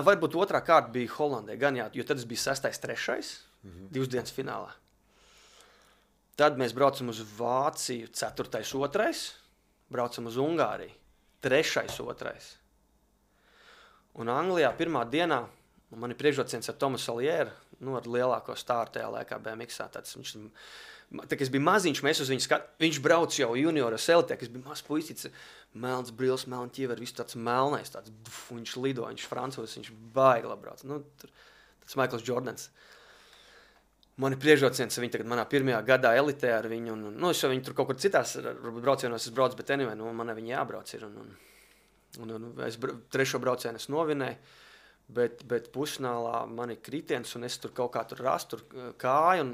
varbūt otrā kārta bija Holandē, gan jā, jo tad es biju 6. 3. 2 dienas finālā. Tad mēs braucam uz Vāciju 4. 2. Braucam uz Ungāriju 3. 2. Un Anglijā pirmā dienā man ir priekšrocienis ar Tomasu Alieru, ar lielāko stāru tajā laikā BMX-ā. Tā, es biju maziņš, mēs uz viņu viņš brauc jau junioras elitē, es biju mazs puisīts, melns brils, melns ķiever, viss tāds melnais, viņš lido, viņš francūzis, viņš baigi labi brauc. Tas Michaels Jordans. Man ir priekšrocienis, viņi tagad manā pirmajā gadā elitē ar viņu, es jau viņu tur kaut kur citās braucienos es braucu, bet anyway, man viņi jābrauc ir, un es 3. braucienu es novinēju, bet pusfinālā man ir kritiens, un es tur kaut kā tur rastu kāju,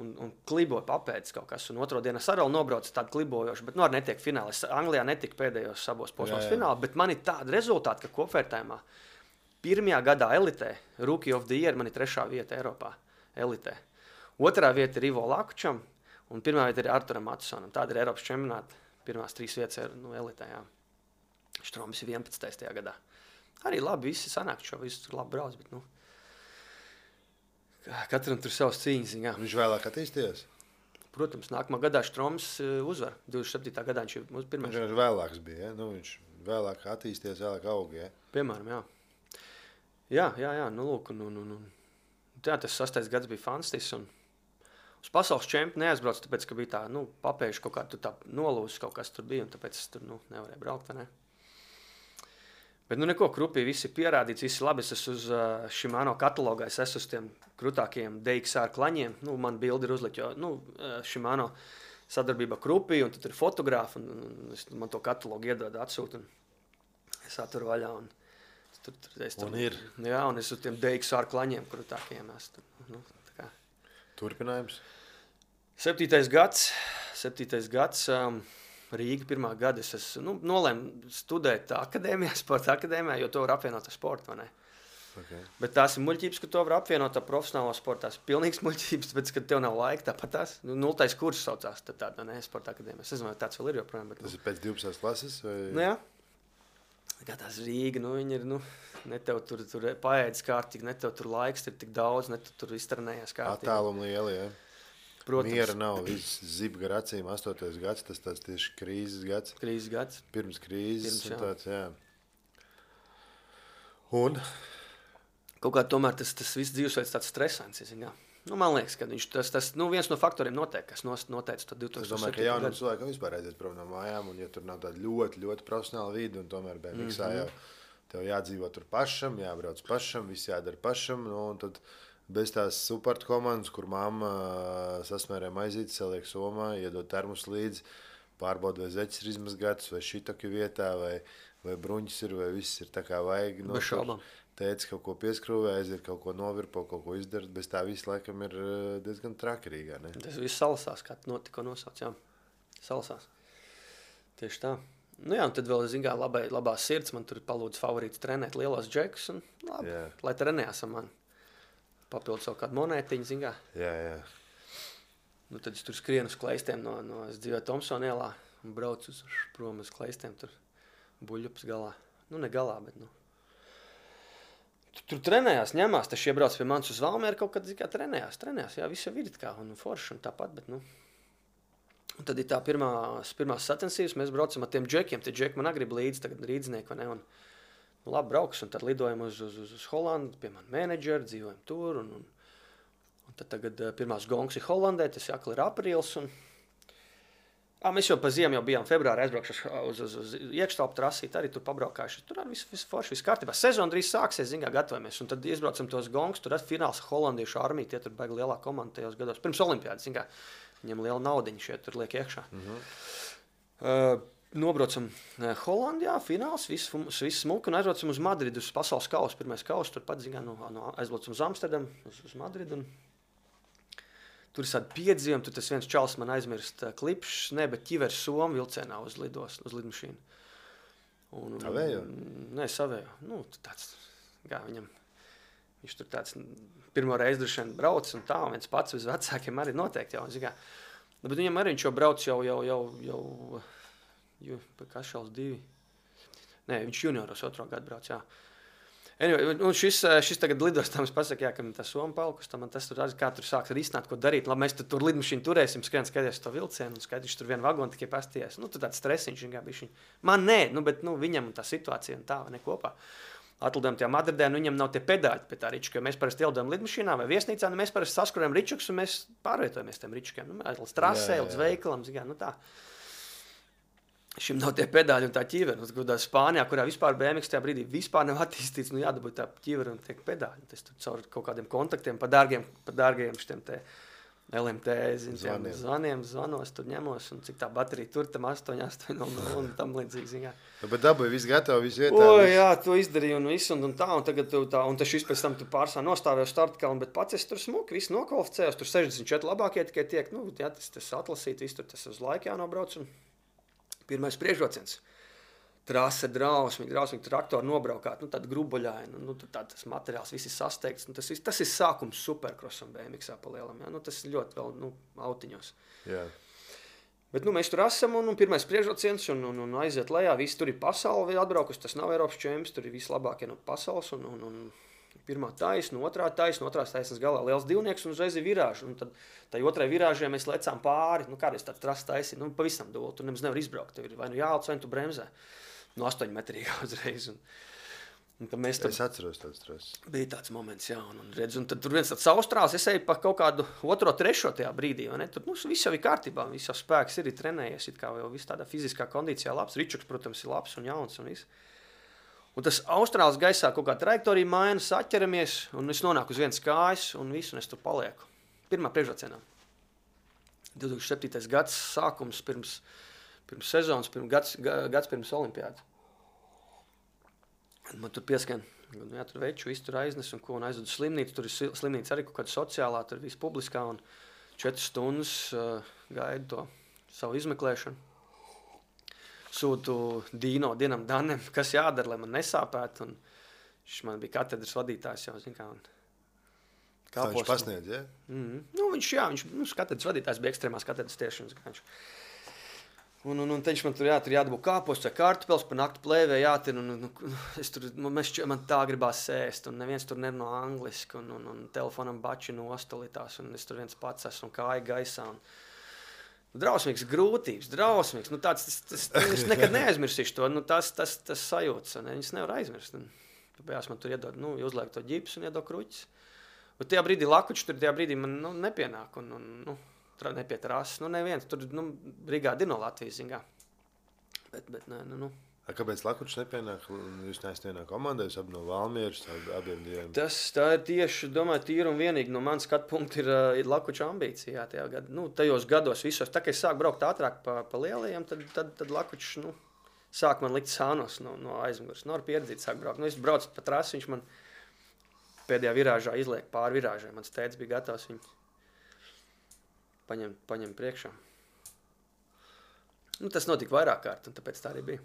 un kliboju papēdis kaut kas, un otro dienu es arī nobraucu tādu klibojošu, bet arī netiek finālā. Es Anglijā netiku pēdējos abos posmos finālā, bet man ir tāda rezultāta, ka kopvērtējumā 1. gadā elitē, Rookie of the Year, man ir 3. vieta Eiropā elitē. 2. vieta ir Ivo Lakučam, un 1. vieta ir Arturam Matusonam. Tāda ir Eiropas čempionāta, pirmās 3 vietas ir elitē, jā. Štrombis ir 11. gadā. Arī labi, visi sanāk šo, visi tur labi brauc, bet, katram tur savas cīņas. Jā. Viņš vēlāk attīstījies? Protams, nākamā gadā Štroms uzvar. 27. gadā viņš ir pirmais. Viņš vēlāks bija, ja? Viņš vēlāk attīstījies, vēlāk auga, ja? Piemēram, jā. Jā, lūk, jā, tas 6. gads bija fantastisks, un Uz pasaules čempionu neaizbraucu, tāpēc, ka bija tā, papējuši kaut kā tur tā nolūzis, kaut kas tur bija, un tāpēc es tur, nevarēju braukt, vai ne? Bet, neko, krupī, viss ir pierādīts, viss ir labi, es esmu uz Shimano katalogā, es esmu uz tiem krutākajiem DXR klaņiem, man bildi ir uzlikt, jo, Shimano sadarbība krupī, un tad ir fotogrāfi, un man to katalogu iedod atsūt, un es aturu vaļā, un un ir. Jā, un es uz tiem DXR klaņiem krutākajiem esmu, tā kā. Turpinājums? 7. gads, Rīga 1. gada. Es nolēmu studēt akadēmijā, sporta akadēmijā, jo to var apvienot ar sportu, vai ne? Okay. Bet tās ir muļķības, ka to var apvienot ar profesionālo sportu. Tās ir pilnīgs muļķības, tāpēc, ka tev nav laika, tāpat tās. 0. kurs saucās, tad tāda, ne, sporta akadēmijā. Es nezinu, vai tāds vēl ir joprojām. Bet, tas ir pēc 12. klases? Vai... Jā. Kā tās Rīga, viņi ir, ne tev tur paēdis kārtīgi, ne tev tur laiks ir tik daudz, ne tu tur iztrenējies kārtīgi. Attālumi lieli, jā. Protams. Miera nav, viss zib gar acīm, 8. gads, tas tāds tieši krīzes gads. Krīzes gads. Pirms krīzes. Jā. Tāds, jā. Un? Kaut kā tomēr tas viss dzīvesveids tāds stresants, jā. Man liekas, ka tas viens no faktoriem noteikti, kas noteica to 2007. Es domāju, ka jaunam cilvēkam vispār aiziet prom no mājām, un ja tur nav tāda ļoti, ļoti profesionāla vide, un tomēr BMXā jau tev jādzīvo tur pašam, jābrauc pašam, viss jādara pašam, un tad bez tās supporta komandas, kur mamma sasmērē maizītes, saliek somā, iedod termus līdzi, pārbauda, vai zeķis ir izmazgāts, vai šitaki vietā, vai bruņķis ir, vai viss ir tā kā vajag. Bez šaubām. Teica, kaut ko pieskrūvē, aiziet kaut ko novirpo, kaut ko izdarīt, bez tā viss laikam ir diezgan trakarīgā, ne? Tas viss salasās, kā tikko nosauc, jā. Salasās. Tieši tā. Jā, un tad vēl, zin kā, labā sirds, man tur palūdz favorīts trenēt lielos džekus, un labi, lai trenējās ar mani. Papildus savu kādu monētiņu, zin kā. Jā. Tad es tur skrienu uz kleistiem es dzīvoju Tomsona ielā un braucu prom uz kleistiem, tur buļļups galā. Ne galā, bet, Tur trenējās, ņemās, taču iebrauc pie manis uz Valmieru, kaut kad, kā trenējās, jā, viss jau ir kā, un forši, un tāpat, bet, Un tad ir tā pirmās sacensības, mēs braucam ar tiem džekiem, tie džeki man agrib līdzi, tagad rīdznieki, vai ne, un, labi, brauks, un tad lidojam uz Holandu, pie man menedžeri, dzīvojam tur, un tad tagad pirmās gongs ir Holandē, tas jākli ir aprīls, un mēs jau pa ziemu bijām februārī aizbraukšu uz iekštelpu trasīt, arī tur pabraukājuši. Tur arī viss forši, viss kārtībā. Sezona drīz sāksies, zin kā, gatavojamies. Un tad izbraucam tos gongus, tur fināls holandiešu armija, tie tur baigi lielā komanda tajos gados. Pirms olimpiādas, zin kā, viņam liela naudiņa šeit tur liek iekšā. Nobraucam Holandijā, fināls, viss smuki, un aizbraucam uz Madridu, uz pasaules kausu, pirmais kausu, tur pat, zin kā, aizbraucam uz Amsterdamu, uz Madridu. Tur ir tādi piedzīvojumi, tur tas viens čalis man aizmirst klipšs, bet ķivers Somu vilcienā uz lidmašīnu. Savējo? Nē, savējo. Tāds, kā viņam, viņš tur tāds pirmo reizi droši vien brauc un tā, un viens pats uz vecākiem arī noteikti jau, zin kā. Bet viņam arī viņš jau brauc jau Kašals 2. Nē, viņš junioros 2. gadu brauc, jā. Anyway, šis tagad lidos, tam es pasaku, ka tā Soma palkus, man tas tur kā tur sāks risināt, ko darīt. Labi, mēs tur lidmašīnu turēsim, skaties to vilcienu, un skatīšu tur vienu vagonu tikai pastījās. Tur tāds stresiņš, man nē, bet viņam tā situācija un tā, vai ne kopā. Atlidojam tajā Madridē, viņam nav tie pedāļi pie tā ričuka, jo mēs parasti ielidojam lidmašīnā vai viesnīcā, mēs parasti saskurējam ričukus, un mēs pārvietojamies tiem ričukiem. Līdz trasē, līdz veikalam, tā. Šim nav tie pedāļi un tā ķiveri. Spānijā, kurā vispār BMX tajā brīdī vispār nav attīstīts, jādabūt tā ķiveri un tiek pedāļi. Tas tur caur kaut kādiem kontaktiem, pa dārgiem šitiem te LMT, zvaniem, zvanos, tur ņemos, un cik tā baterija tur tam 8 un tam līdzīgi. Bet dabūja viss gatavi, viss vietā. Jā, to izdarīju un visu, un tā, un tagad tā, un tas šis pēc tam tu pārsā nostāvēju startkalnu, bet pats es tur smuki, viss nokvalificējos, tur 64 labākie tikai tiek, tas atlasīt, viss tur tas uz laiku jānobrauc, un pirmais priekšrociens. Trase drausmīgi, traktori nobraukāt, tāda grubuļaina, tas materiāls viss ir sasteigts. Tas ir sākums superkrosam BMXā pa lielam, tas ir ļoti vēl autiņos. Jā. Bet mēs tur esam, un pirmais priekšrociens, un aiziet lejā, visi tur ir pasauli atbraukus, tas nav Eiropas čempions, tur ir vislabākie no pasaules, un pirmā taisna, otrās taisnas galā liels divnieks, un uzreiz ir virāži. Un tad tai otrai virāžai mēs lecām pāri, kādreiz tāds trasts taisi, pavisam doli, tur nemaz nevar izbraukt. Tev ir vai jālc, vai tu bremzē. 8 metrīgā uzreiz. Es atceros tādu stresu. Bija tāds moments, jā, un tad tur viens tāds austrāls, es eju pa kaut kādu 2., 3. tajā brīdī, vai ne? Tur viss jau ir kārtībā, viss jau spēks ir trenējies, it kā jau viss tādā fiziskā kondīcijā labs. Ričuks, protams, ir labs un jauns un viss. Un tas austrāls gaisā kaut kā trajektorija maina, saķeramies, un es nonāku uz vienas kājas, un visu, un es tur palieku. Pirmā priekšrocienā. 2007. gads sākums pirms sezonas, gads pirms olimpiādas. Man tur pieskan, tur veču, visu tur aiznes un ko, un aizvedu slimnīcu. Tur ir slimnīca arī kaut kāda sociālā, tur viss publiskā, un 4 stundas gaidu to savu izmeklēšanu. Sūtu Dienam Danem, kas jādara, lai man nesāpētu, un viņš man bija katedras vadītājs jau, zin kā, un Viņš pasniedz, ja? Viņš katedras vadītājs bija ekstrēmās katedras tieši, un viņš man tur jādabū kāposts vai kartupeļus, pa nakti plēvē jātir, man tā gribās sēst, un neviens tur nerunā angliski, un telefonam bači nostalitās, un es tur viens pats esmu un kāja gaisā, un drausmīgs grūtības, es nekad neaizmirsīšu to, tas sajūtas, un viņas nevar aizmirst, un tāpēc man tur iedod, uzliek to ģipsu un iedod kruķis, un tajā brīdī lakuči tur tajā brīdī man, nepienāk, un nepietrās, neviens, tur, brigādi ir no Latvijas, zingā. Bet, nē. Kāpēc Lakučs nepienāk? Jūs neesat vienā komandā, jūs abi no Valmieras, abiem diviem? Tā ir tieši, domāju, tīri un vienīgi no manas skatu punkta ir Lakuča ambīcija, jā, tajā gadā. Tajos gados visos, tā kā es sāku braukt ātrāk pa lielajiem, tad Lakučs, sāk man likt sānos no aizmugures. Ar pieredzīt sāk braukt. Es braucu pa trasi, viņš man pēdējā virāžā izliek pāri virāžai. Mans tētis bija gatavs viņu paņem priekšā. Tas notika vairāk kārt, un tāpēc tā arī bija.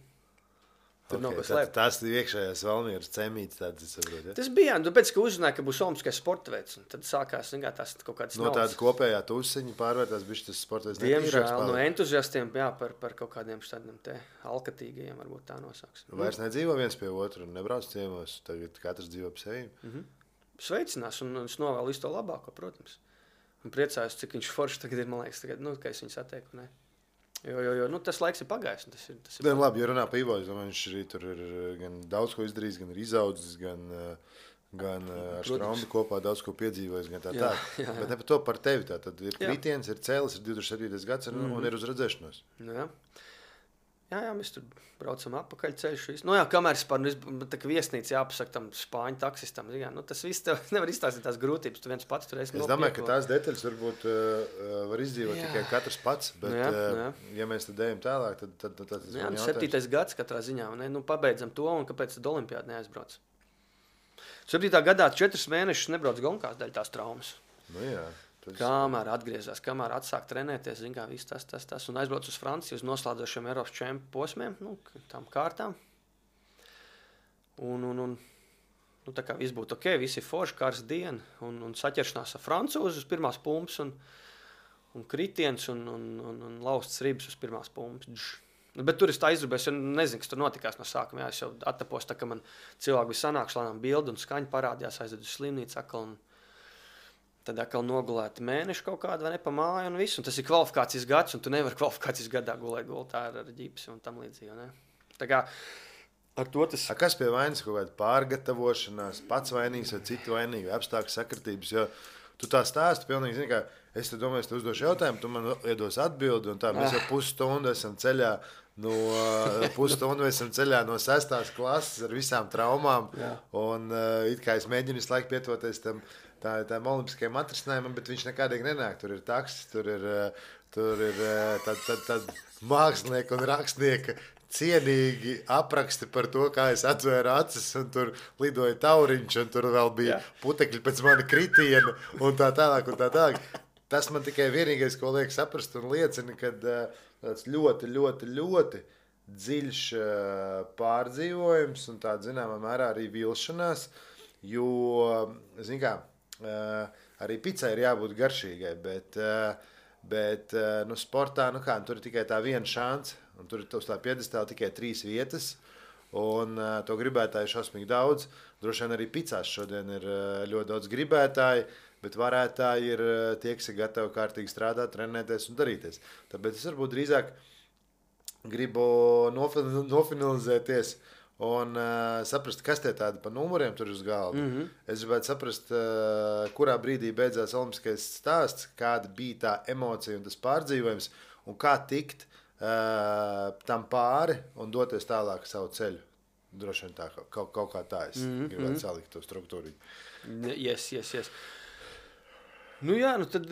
Tur nav ko slēpt. Tās ir iekšējās Valmieras cemītes, tādas es saprotu, ja? Tas bija, tāpēc, ka uzzināja, ka būs olimpiskais sporta veids, un tad sākās, tās kaut kādas no tāda kopējā tusiņa pārvērtās bišķi tas sporta veids. Diemžēl, no entuziastiem, jā, par kaut kādiem šādiem te alkatīgajiem, varbūt tā nosāks. Vairs nedzīvo viens pie otru un nebrauc ciemos, tagad katrs dzīvo pa sevi. Sveicinās, un es novēlu visu to labāko, protams. Un priecājos, cik viņš forši tagad ir, man liekas, ka es viņu satieku, ne? Jo, tas laiks ir pagājis. Tas ir labi, ja runā pa Ivo, es domāju, viņš arī tur ir gan daudz ko izdarījis, gan ir izaudzis, gan ar Straumu kopā daudz ko piedzīvojis, gan tā. Jā. Bet ne par to par tevi, tā tad ir kritiens, ir cēlis, ir 2007. gads un ir uz redzēšanos. Jā, mēs tur braucam atpakaļ ceļš. Kamēr es tā kā viesnīca jāpasaka tam spāņu taksistam. Tas viss tev nevar izstāstīt tās grūtības. Tu viens pats tur esi nopieklo. Es domāju, ka tās detaļas varbūt var izdzīvot tikai katrs pats. Bet, ja mēs tad ejam tālāk, tad tas ir jautājums. 7. gads katrā ziņā. Pabeidzam to, un kāpēc tad olimpiāda neaizbrauc? 7. gadā 4 mēnešus nebrauc gonkās daļ tās traumas. Kamēr atgriezās, kamēr atsāk trenēties, zin kā, viss tas, un aizbrauc uz Franciju, uz noslēdzošiem Eiropas čempu posmiem, tām kārtām. Un tā kā viss būtu ok, visi forši, kārs diena, un saķeršanās ar francūzi uz pirmās pumpas, un kritiens, un lausts ribas uz pirmās pumpas. Bet tur es tā izrubēju, es nezinu, kas tur notikās no sākuma, es jau attapos, tā kā man cilvēki bija sanākuši, lēnām bildi un skaņi parādījās, aizvedu uz slimnīcu atkal, un tad atkal nogulēti mēneši kaut kādu, vai ne, pa māju un visu. Un tas ir kvalifikācijas gads, un tu nevari kvalifikācijas gadā gulēt gultā ar ģipsi un tam līdzīgi, ne? Tā kā ar to tas... Kas pie vainas kaut kāda pārgatavošanās, pats vainīgs vai citu vainīgi, vai apstākļu sakritības, jo tu tā stāsti pilnīgi, zini, kā es te domāju, es te uzdošu jautājumu, tu man iedos atbildi, un tā mēs jau pusstundu esam ceļā no 6. klases ar visām traumām, un it kā es mēģinu visu laiku pietuvoties tām olimpiskajām atrisinājumam, bet viņš nekādīgi nenāk. Tur ir taksis, tur ir tad mākslinieka un rakstnieka cienīgi apraksti par to, kā es atvēru acis, un tur lidoja tauriņš, un tur vēl bija putekļi pēc mana kritiena, un tā tālāk. Tas man tikai vienīgais, ko liek saprast un liecina, kad tāds ļoti, ļoti, ļoti dziļš pārdzīvojums un tāda, zināmā mērā, arī vilšanās, jo, zin kā, arī picai ir jābūt garšīgai, bet sportā, tur ir tikai tā viena šansa, un tur ir uz tā piedestāla tikai 3 vietas, un to gribētāju šausmīgi daudz. Droši vien arī picās šodien ir ļoti daudz gribētāji, bet varētāji ir tie, kas ir gatavi kārtīgi strādāt, trenēties un darīties. Tāpēc es varbūt drīzāk gribu nofinalizēties un saprast, kas tie tādi pa numuriem tur uz galda. Es gribētu saprast, kurā brīdī beidzās olimpiskais stāsts, kāda bija tā emocija un tas pārdzīvojums, un kā tikt tam pāri un doties tālāk savu ceļu. Droši vien tā, kaut kā tā es gribētu salikt to struktūru. Yes. Nu jā, nu tad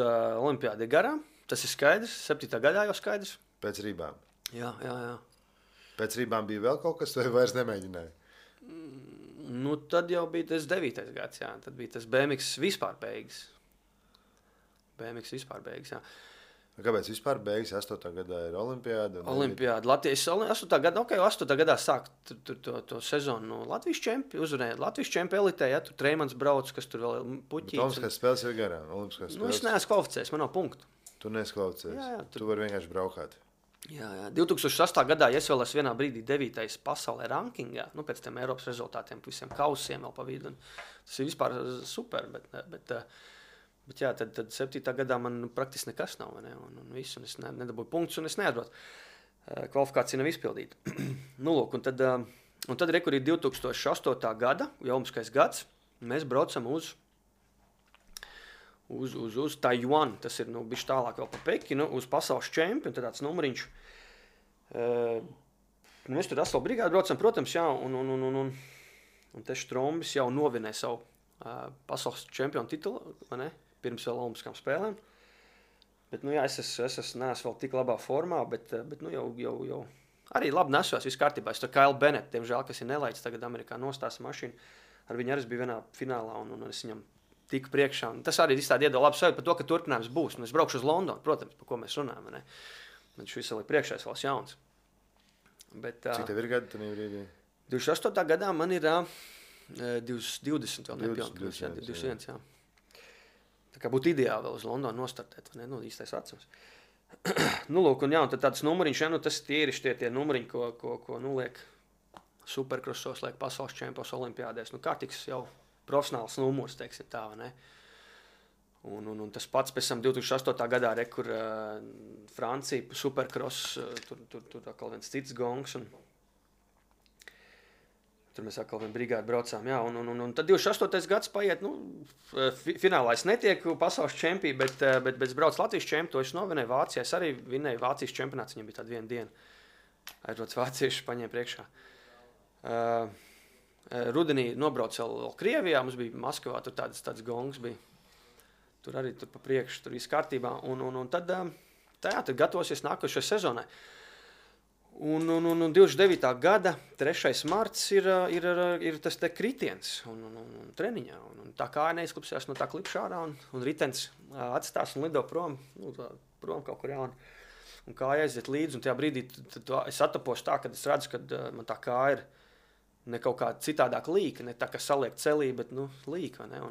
olimpiāda ir garām. Tas ir skaidrs. 7. gadā jau skaidrs. Pēc rībām. Jā. Pēc rībām bija vēl kaut kas, vai vairs nemēģināja? Nu, tad jau bija tas 9. gads, jā. Tad bija tas BMX vispār beigas. Jā. Kāpēc vispār beigas? 8. gadā ir olimpiāda? Olimpiāda. Latvijas 8. gadā, 8. gadā sāk to sezonu. Nu, Latvijas čempi uzvarēja. Latvijas čempi elitē, ja tur Treimans brauc, kas tur vēl puķīts. Bet olimpiskās spēles ir garām. Nu, es neesmu kvalificējies, man nav punktu. Tu neesi kvalificējies. Jā, tu vari vienkārši braukāt. Jā. 2008. gadā es vēl esmu vienā brīdī 9. pasaulē rankingā, nu, pēc tiem Eiropas rezultātiem, visiem kausiem vēl pa vidu. Tas ir vispār super, bet jā, tad 7. gadā man praktiski nekas nav, ne? Un visu, un es nedabūju punktus, un es neatbraucu. Kvalifikācija nav izpildīta. Nu, lūk, un tad rekur ir 2008. gada, jau olimpiskais gads, mēs braucam uz Taiwan, tas ir, bišķi tālāk vēl pa Pekinu, uz pasaules čempionu, tad tāds numuriņš. Mēs tur Asfalt brigādi braucam, protams, jā, un te Štrombis jau novinē savu pasaules čempionu titulu, vai ne? Pirms vēl olimpiskām spēlēm. Bet, nu jā, es neesmu vēl tik labā formā, bet nu jau arī labi nesos, viss kārtībā. Es tur Kyle Bennett, diemžēl, kas ir nelaids tagad Amerikā nostās mašīnu, ar viņu arī bija vienā finālā, un es viņam tiku priekšā. Un tas arī ir tādi iedod labu sajūtu par to, ka turpinājums būs. Un es braukšu uz Londonu, protams, par ko mēs runājam, ne? Man šis vēl ir priekšā, es vēl jauns. Bet, cik tev ir gadi tajā brīdī? 28. gadā man ir 20 vēl nepilngadīgs, 21, jā. Tā kā būtu ideāli vēl uz Londonu nostartēt, vai ne? Nu, īstais vecums. Nu, lūk, un jā, un tad tāds numuriņš, ja, nu, tas tie numuriņi, ko liek supercrossos, liek pasaules čempions olimpiādēs. Nu, kārtīgs jau profesionāls numurs, teiksim tā, vai ne? Un tas pats pēc tam 2008. gadā, kur Francija supercross, tur atkal viens cits gongs, un tur mēs atkal vienu brigādi braucām, jā, un tad 28. gads paiet, nu, finālā es netieku pasaules čempī, bet brauc Latvijas čempi, to es novinēju Vācijā, es arī vinēju Vācijas čempionāts, viņam bija tāda viena diena, aizrots vācieši paņēma priekšā. Rudenī nobrauc vēl Krievijā, mums bija Maskavā, tur tāds gongs bija, tur arī tur pa priekšu, tur viss kārtībā, un tad gatavosies nākošajai sezonai. Un 29. gada 3. marts ir tas te kritiens un treniņā. Un tā kā neizklupsījās no tā klipša ārā un ritens atstās un lido prom, prom kaut kur jauni. Un kāja aiziet līdzi, un tajā brīdī es atapos tā, kad es redzu, ka man tā kāja ir ne kaut kā citādāk līka, ne tā, ka saliek celī, bet, līka, ne?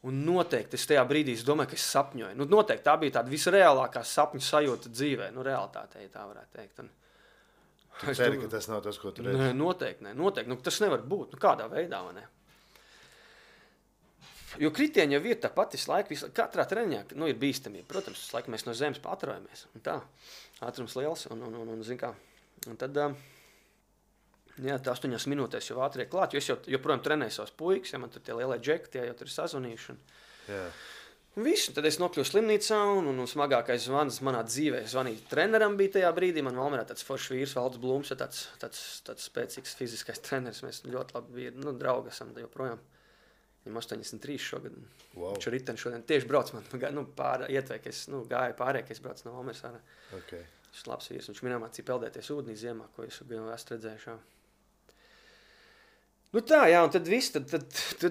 Un noteikti es tajā brīdī domāju, ka es sapņoju. Nu, noteikti tā bija tāda visreālākā sapņu sajūta dzīvē, realitātē, ja tā varētu teikt. Tu ceri, ka tas nav tas, ko tu redzi? Noteikti. Nu, tas nevar būt. Nu, kādā veidā, vai ne? Jo kritieni jau ir tā pati laika, katrā treniņā, ir bīstamība. Protams, laika mēs no zemes patrojamies. Un tā, ātrums liels, un zin kā. Un tad, jā, tā 8 minūtēs jau ātrie klāt, jo es joprojām trenēju savus puikas, ja man tur tie lielie džeki, tie jau tur ir sazvanījuši. Jā. Un visu, tad es nokļuvu slimnīcā, un smagākais zvans manā dzīvē. Es zvanīju treneram bija tajā brīdī, man Valmierā tāds foršs vīrs, Valds Blums, ja tāds spēcīgs fiziskais treneris. Mēs ļoti labi bija, draugi esam joprojām. Viņam 83 šogad. Wow. Viņš riteni šodien tieši brauc man, ietvēja, ka es gāju pārējā, ka es braucu no Valmieras ārā. Okay. Viņš ir labs vīrs, viņš minēja mācīja peldēties ūdenī ziemā, ko es esmu redzējuši. Nu tā, jā, un tad viss, tad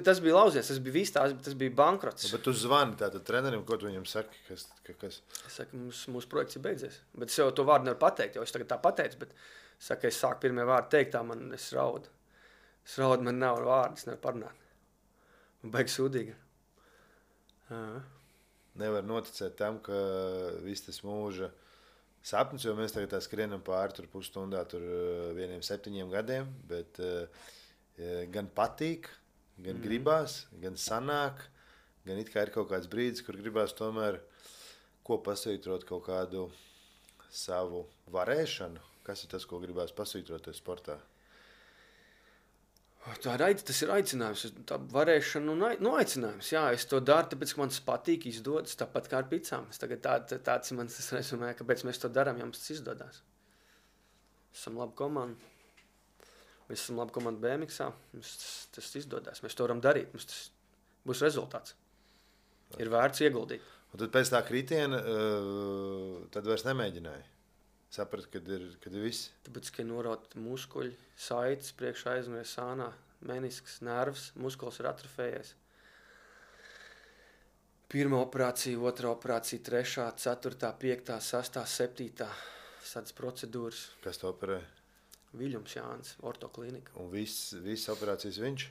tas bija lauzies, tas bija viss, tas bija bankrots. Bet tu zvani tātad trenerim, ko tu viņam saki? Kas? Es saku, mūsu projekts ir beidzies. Bet es jau to vārdu nevaru pateikt, jo es tagad tā pateicu, bet es saku, es sāku pirmie vārdi teikt, es raudu. Es raudu, man nav vārdu, es nevaru parunāt. Man baigi sūdīgi. Nevar noticēt tam, ka viss tas mūža sapnis, jo mēs tagad tā skrienam pāri tur pusstundā, tur 7 gadiem, bet gan patīk, gan gribās, gan sanāk, gan it kā ir kaut kāds brīdis, kur gribās tomēr ko pasvītrot kaut kādu savu varēšanu, Kas ir tas, ko gribēs pasvītroties sportā? Tas ir aicinājums, tā varēšana un aicinājums. Jā, es to daru, tāpēc, ka man tas patīk, izdodas, tāpat kā ar picām. Tāds ir mans resumē, kāpēc mēs to darām, ja mums tas izdodas. Esam laba komanda. Mēs esam laba komanda BMX-ā. Tas izdodas. Mēs to varam darīt. Mums tas būs rezultāts. Ir vērts ieguldīt. Un tad pēc tā kritiena tad vairs nemēģināja. Saprat, kad ir viss. Tāpēc, ka ir norauti muskuļi, saites, priekšā aizmēr sānā, menisks, nervs, muskulis ir atrofējies. 1. operācija, 2. operācija, 3., 4., 5., 6., 7. Tādas procedūras. Kas to operē? Viļums Jānis, ortoklinika. Un viss operācijas viņš?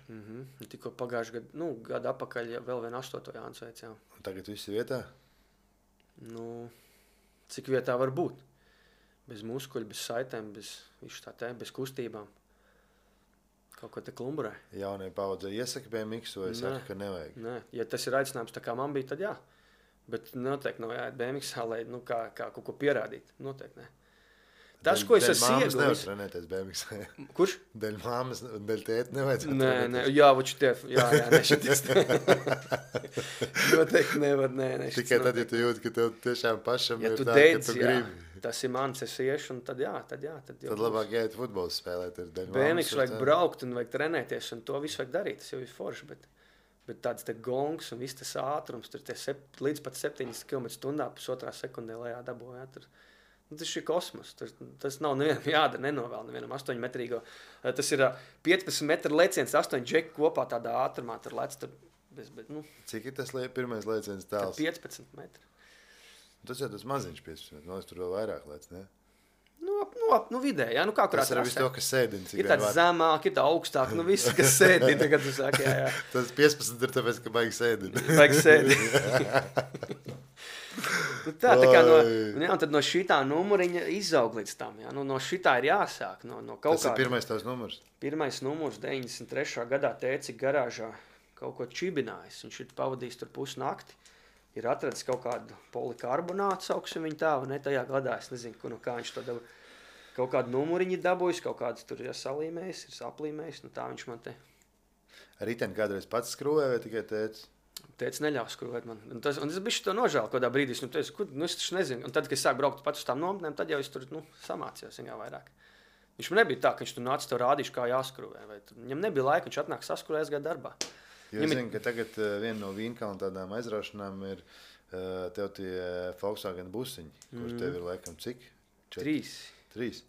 Tikko pagājuši gadu apakaļ vēl vien 8. Jānis veic, jā. Un tagad viss ir vietā? Cik vietā var būt? Bez muskuļu, bez saitēm, bez kustībām. Kaut ko te klumburē. Jaunie paudzē iesaka BMX vai saka, ka nevajag? Nē, ja tas ir aicinājums tā kā man bija, tad jā. Bet noteikti nav jāiet BMX-ā, lai kā kaut ko pierādīt. Noteikti nē. Tas, ko es esmu ieguvis... Dēļ māmas nevar trenēties BMX-ā. Kurš? Dēļ māmas un dēļ tēti nevajadzētu trenēties. Nē, jā, voči tev. Jā, nešities. Noteikti nevar, nē. Tikai tad, ja tu jūti, ka tev tiešām pašam ja ir tā, ka tu gribi. Tas ir mans, es iešu, un tad jā. Tad labāk jāiet futbolu spēlēt. BMX vajag braukt un vajag trenēties, un to visu vajag darīt. Tas jau ir forši, bet tāds te gongs un viss tas ātrums, tur līdz pat 7 km/h pusotrā sekundē lejā dabūjā. Tas ir kosmos. Tas nav nevienam jādara, nenovēl nevienam 8-metrīgo. Tas ir 15 metru leciens, 8 džeki kopā tādā ātrumā. Tur lec tur Cik ir tas pirmais leciens tāls? 15 metri. Tas jau tas maziņš 15 metri. Es tur vēl vairāk lec, ne? Vidēji, jā. Kā kurā tas ir viss to, kas sēdina. Ir tāds zemāk, ir tā augstāk. Viss, kas sēdina, tagad tu saki, jā. Tas 15 ir tāpēc, ka baigi sēdina. Baigi sēdina. Tā kā tad no šitā numuriņa izaug līdz tam. Jā. No šitā ir jāsāk. Tas ir pirmais tās numurs? Pirmais numurs 93. gadā tēci garāžā kaut ko čibinājis. Viņš ir pavadījis tur pusnakti. Ir atradis kaut kādu polikarbonātu, sauksim viņu tā, ne tajā gadā. Es nezinu, kā viņš to dabūja. Kaut kādu numuriņu dabūjis, kaut kāds tur ir salīmējis, ir saplīmējis. Tā viņš man te... Riteni kādreiz pats skrūvēja vai tikai tēcis? Tētis neļaus skrūvēt man. Un es bišķi to nožēlu kādā brīdī. Es taču nezinu. Un tad, kad es sāku braukt pats uz tām nometnēm, tad jau es tur samācījos vairāk. Viņš man nebija tā, ka viņš tur nāca tev rādīšu, kā jāskrūvē. Viņam nebija laika, viņš atnāk saskrūvēs gadu darbā. Jo es zinu, ka tagad viena no Vīnkalna tādām aizraušanām ir tev tie Volkswagen busiņi, kur tev ir laikam cik? 3.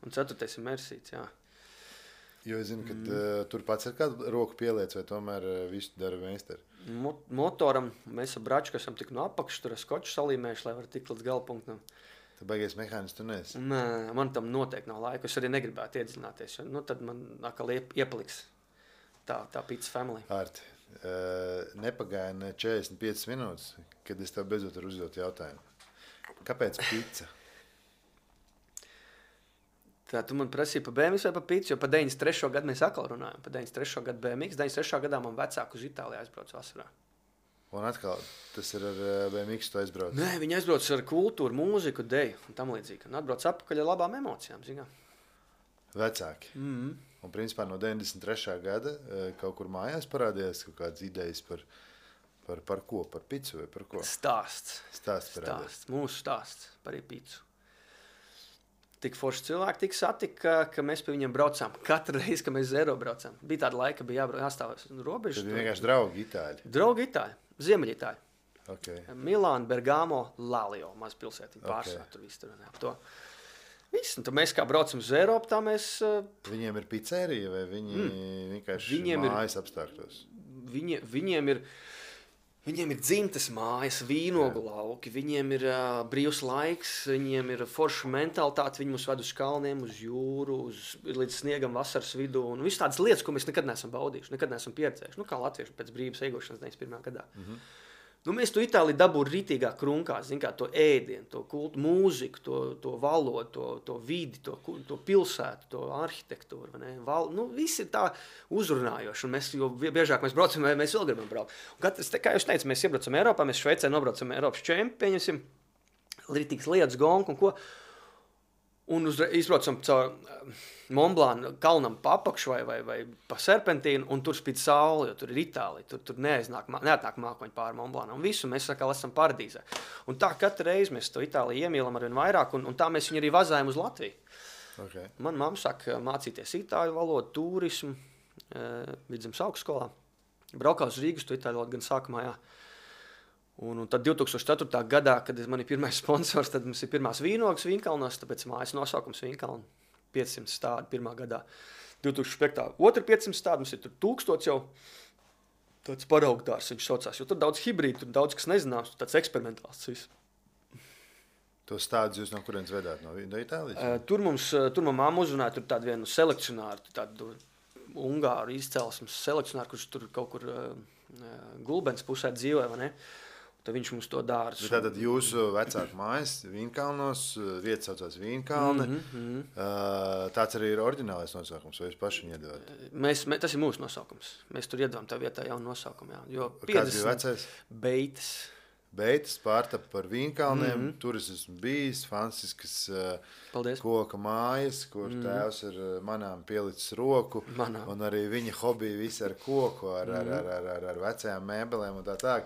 Un 4. ir Mersīts, jā. Jo es zinu, ka tur pats ir kādu roku pieliec, vai tomēr visu dara meistari? Motoram mēs ar Bračku esam tik no apakšu, tur skoču salīmējuši, lai var tikt līdz galpunktam. Tu baigies mehānis, tu neesi? Nē, man tam noteikti nav laika. Es arī negribētu iedziļināties, jo tad man atkal iepaliks tā pizza family. Arti, nepagāja ne 45 minūtes, kad es tev beidzot varu uzdot jautājumu. Kāpēc pizza? Tā tu man prasīji par BMX vai par pizzu, jo par 93. gadu mēs atkal runājam. Par 93. gadu BMX. 93. gadā man vecāku uz Itāliju aizbrauc vasarā. Un atkal, tas ir ar BMX tu aizbrauc? Nē, viņi aizbrauc ar kultūru, mūziku, deju un tam līdzīgi. Un atbrauc atpakaļ ar labām emocijām, zinām. Vecāki. Un principā no 93. gada kaut kur mājās parādījās kaut kādas idejas par ko? Par pizzu vai par ko? Stāsts. Mūsu stāsts par pizzu. Tik forši cilvēki tik satika, ka mēs pie viņiem braucām. Katru reizi, kad mēs zero braucām. Bija tāda laika, bija jāstāvēs robežas. Tad vienkārši draugi itāļi? Draugi itāļi. Ziemeļitāļi. Okay. Milāna, Bergamo, Lalio. Maz pilsētiņa pārsvarā tur viss tur. Viss. Un tad mēs kā braucam uz Eiropu, tā mēs... Viņiem ir pizzerija vai viņi vienkārši mājas apstākļos? Viņiem ir dzimtes mājas, vīnogu lauki, viņiem ir brīvs laiks, viņiem ir forša mentalitāte, viņi mūs ved uz kalniem, uz jūru, līdz sniegam vasaras vidū, un viss tādas lietas, ko mēs nekad neesam baudījuši, nekad neesam pieredzējuši, kā latvieši pēc brīvas iegošanas 91. gadā. Mēs to Itāliju dabūtu rītīgā krunkā, to ēdienu, to kultu, mūziku, to valodu, to vidi, to pilsētu, to arhitektūru. Viss ir tā uzrunājoši, un jo biežāk mēs braucam, mēs vēl gribam braukt. Kā jūs teicat, mēs iebraucam Eiropā, mēs Šveicē nobraucam Eiropas čempi, pieņemsim, rītīgs lietas, gonku un ko. Un izbraucam caur Montblanc kalnam pa apakšu vai pa serpentīnu, un tur spīd saule, jo tur ir Itālija. Tur neatnāk mākoņi pāri Montblancam. Un visu mēs sakām, esam paradīzē. Un tā katru reizi mēs to Itāliju iemīlam arvien vairāk, un tā mēs viņu arī vazājam uz Latviju. Okay. Man mamma saka mācīties itāļu valodu, turismu, Vidzemes augstskolā. Braukā uz Rīgas, to itāļu valodu gan sākumā, jā. Un tad 2004. gadā, kad man ir pirmais sponsors, tad mums ir pirmās vīnogas Vīnkalnos, tāpēc mājas nosaukums Vīnkalni. 500 stādi pirmā gadā. 2005. Otra 500 stādi, mums ir tur 1000 jau. Tāds paraugdārs viņš saucās, jo tur daudz hibrīdu, tur daudz kas nezināms, tāds eksperimentāls viss. Tos stādus jūs no kurienes vedāt? No Itālijas? Tur mamma uzrunāja tur tādu vienu selekcionāru, tādu ungāru izcelsmes selekcionāru, kurš tur kaut kur Gulbens pusē dzīvoja, vai ne? Tad viņš mums to dārzu. Tātad jūsu vecāku mājas Vīnkalnos, vieta saucās Vīnkalni. Tāds arī ir oriģinālais nosaukums, vai jūs paši viņu iedevāt? Tas ir mūsu nosaukums. Mēs tur iedevām tā vietā jaunu nosaukumu. Jā. Jo kāds bija vecais? Beitas pārtapa par Vīnkalniem. Tur es esmu bijis, fantastiskas koka mājas, kur tēvs ir manām pielicis roku. Un arī viņa hobija visi ar koku, ar vecajām mēbelēm un tā.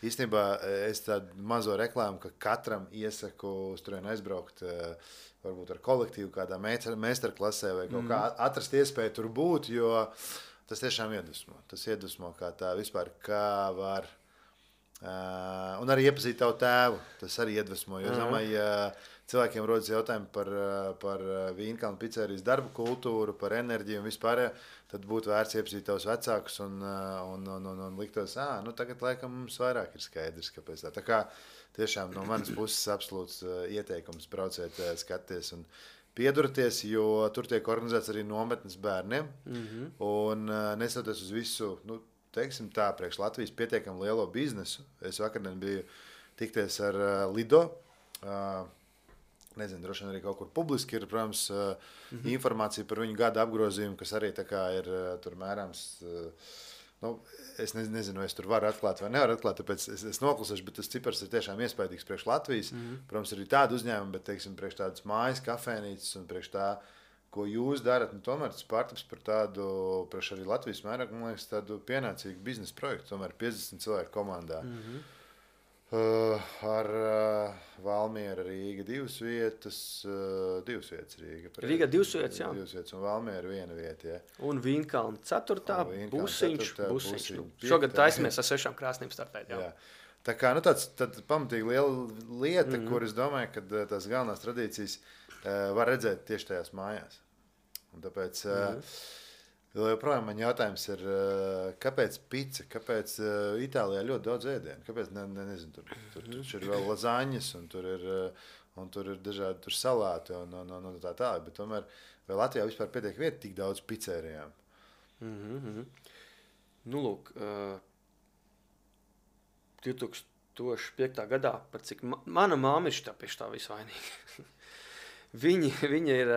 Īstenībā es tādu mazo reklāmu, ka katram iesaku uz turieni aizbraukt, varbūt ar kolektīvu kādā meistarklasē vai kaut kā atrast iespēju tur būt, jo tas tiešām iedvesmo. Tas iedvesmo kā tā vispār, kā var. Un arī iepazīt tavu tēvu, tas arī iedvesmo, jo es domāju, ja cilvēkiem rodas jautājumi par Vīnkalnu picerijas darbu kultūru, par enerģiju un vispār, tad būtu vērts iepazīt tavus vecākus un liktos, tagad laikam mums vairāk ir skaidrs, kāpēc tā. Tā kā tiešām no manas puses absolūts ieteikums brauciet, skaties un pieduraties, jo tur tiek organizēts arī nometnes bērniem un nesatoties uz visu, teiksim tā, priekš Latvijas pietiekami lielo biznesu. Es vakardien biju tikties ar Lido, nezinu, droši vien arī kaut kur publiski ir, protams, informācija par viņu gada apgrozījumu, kas arī tā kā ir tur mērāms. Es nezinu, vai es tur varu atklāt vai nevaru atklāt, tāpēc es noklusēšu, bet tas cipars ir tiešām iespaidīgs priekš Latvijas. Protams, ir tādi uzņēmumi, bet, teiksim, priekš tādas mājas, kafēnīcas un priekš tā, ko jūs darat, tomēr tas pārtaps par tādu, priekš arī Latvijas mērogu, man liekas, tādu pienācīgu biznesa projektu, tomēr 50 cilvēku komandā. Ar Valmiera Rīga 2 vietas Rīga. Rīga 2 vietas, jā. 2 vietas un Valmiera 1 vieta, jā. Un Vīnkalna 4. Busiņš. Šogad taisamies ar 6 krāsnīm startēt, jā. Tā kā, tad pamatīgi liela lieta, kur es domāju, ka tās galvenās tradīcijas var redzēt tieši tajās mājās. Un tāpēc joprojām man jautājums ir, kāpēc pica, kāpēc Itālijā ļoti daudz ēdienu, kāpēc, nezinu, tur ir vēl lazaņas un tur ir dažādi tur salāti un tā, bet tomēr vai Latvijā vispār pietiek vieta tik daudz pizzērijām? Nu, lūk, 2005. gadā, par cik mana māma ir pie tā visvainīga. Viņa ir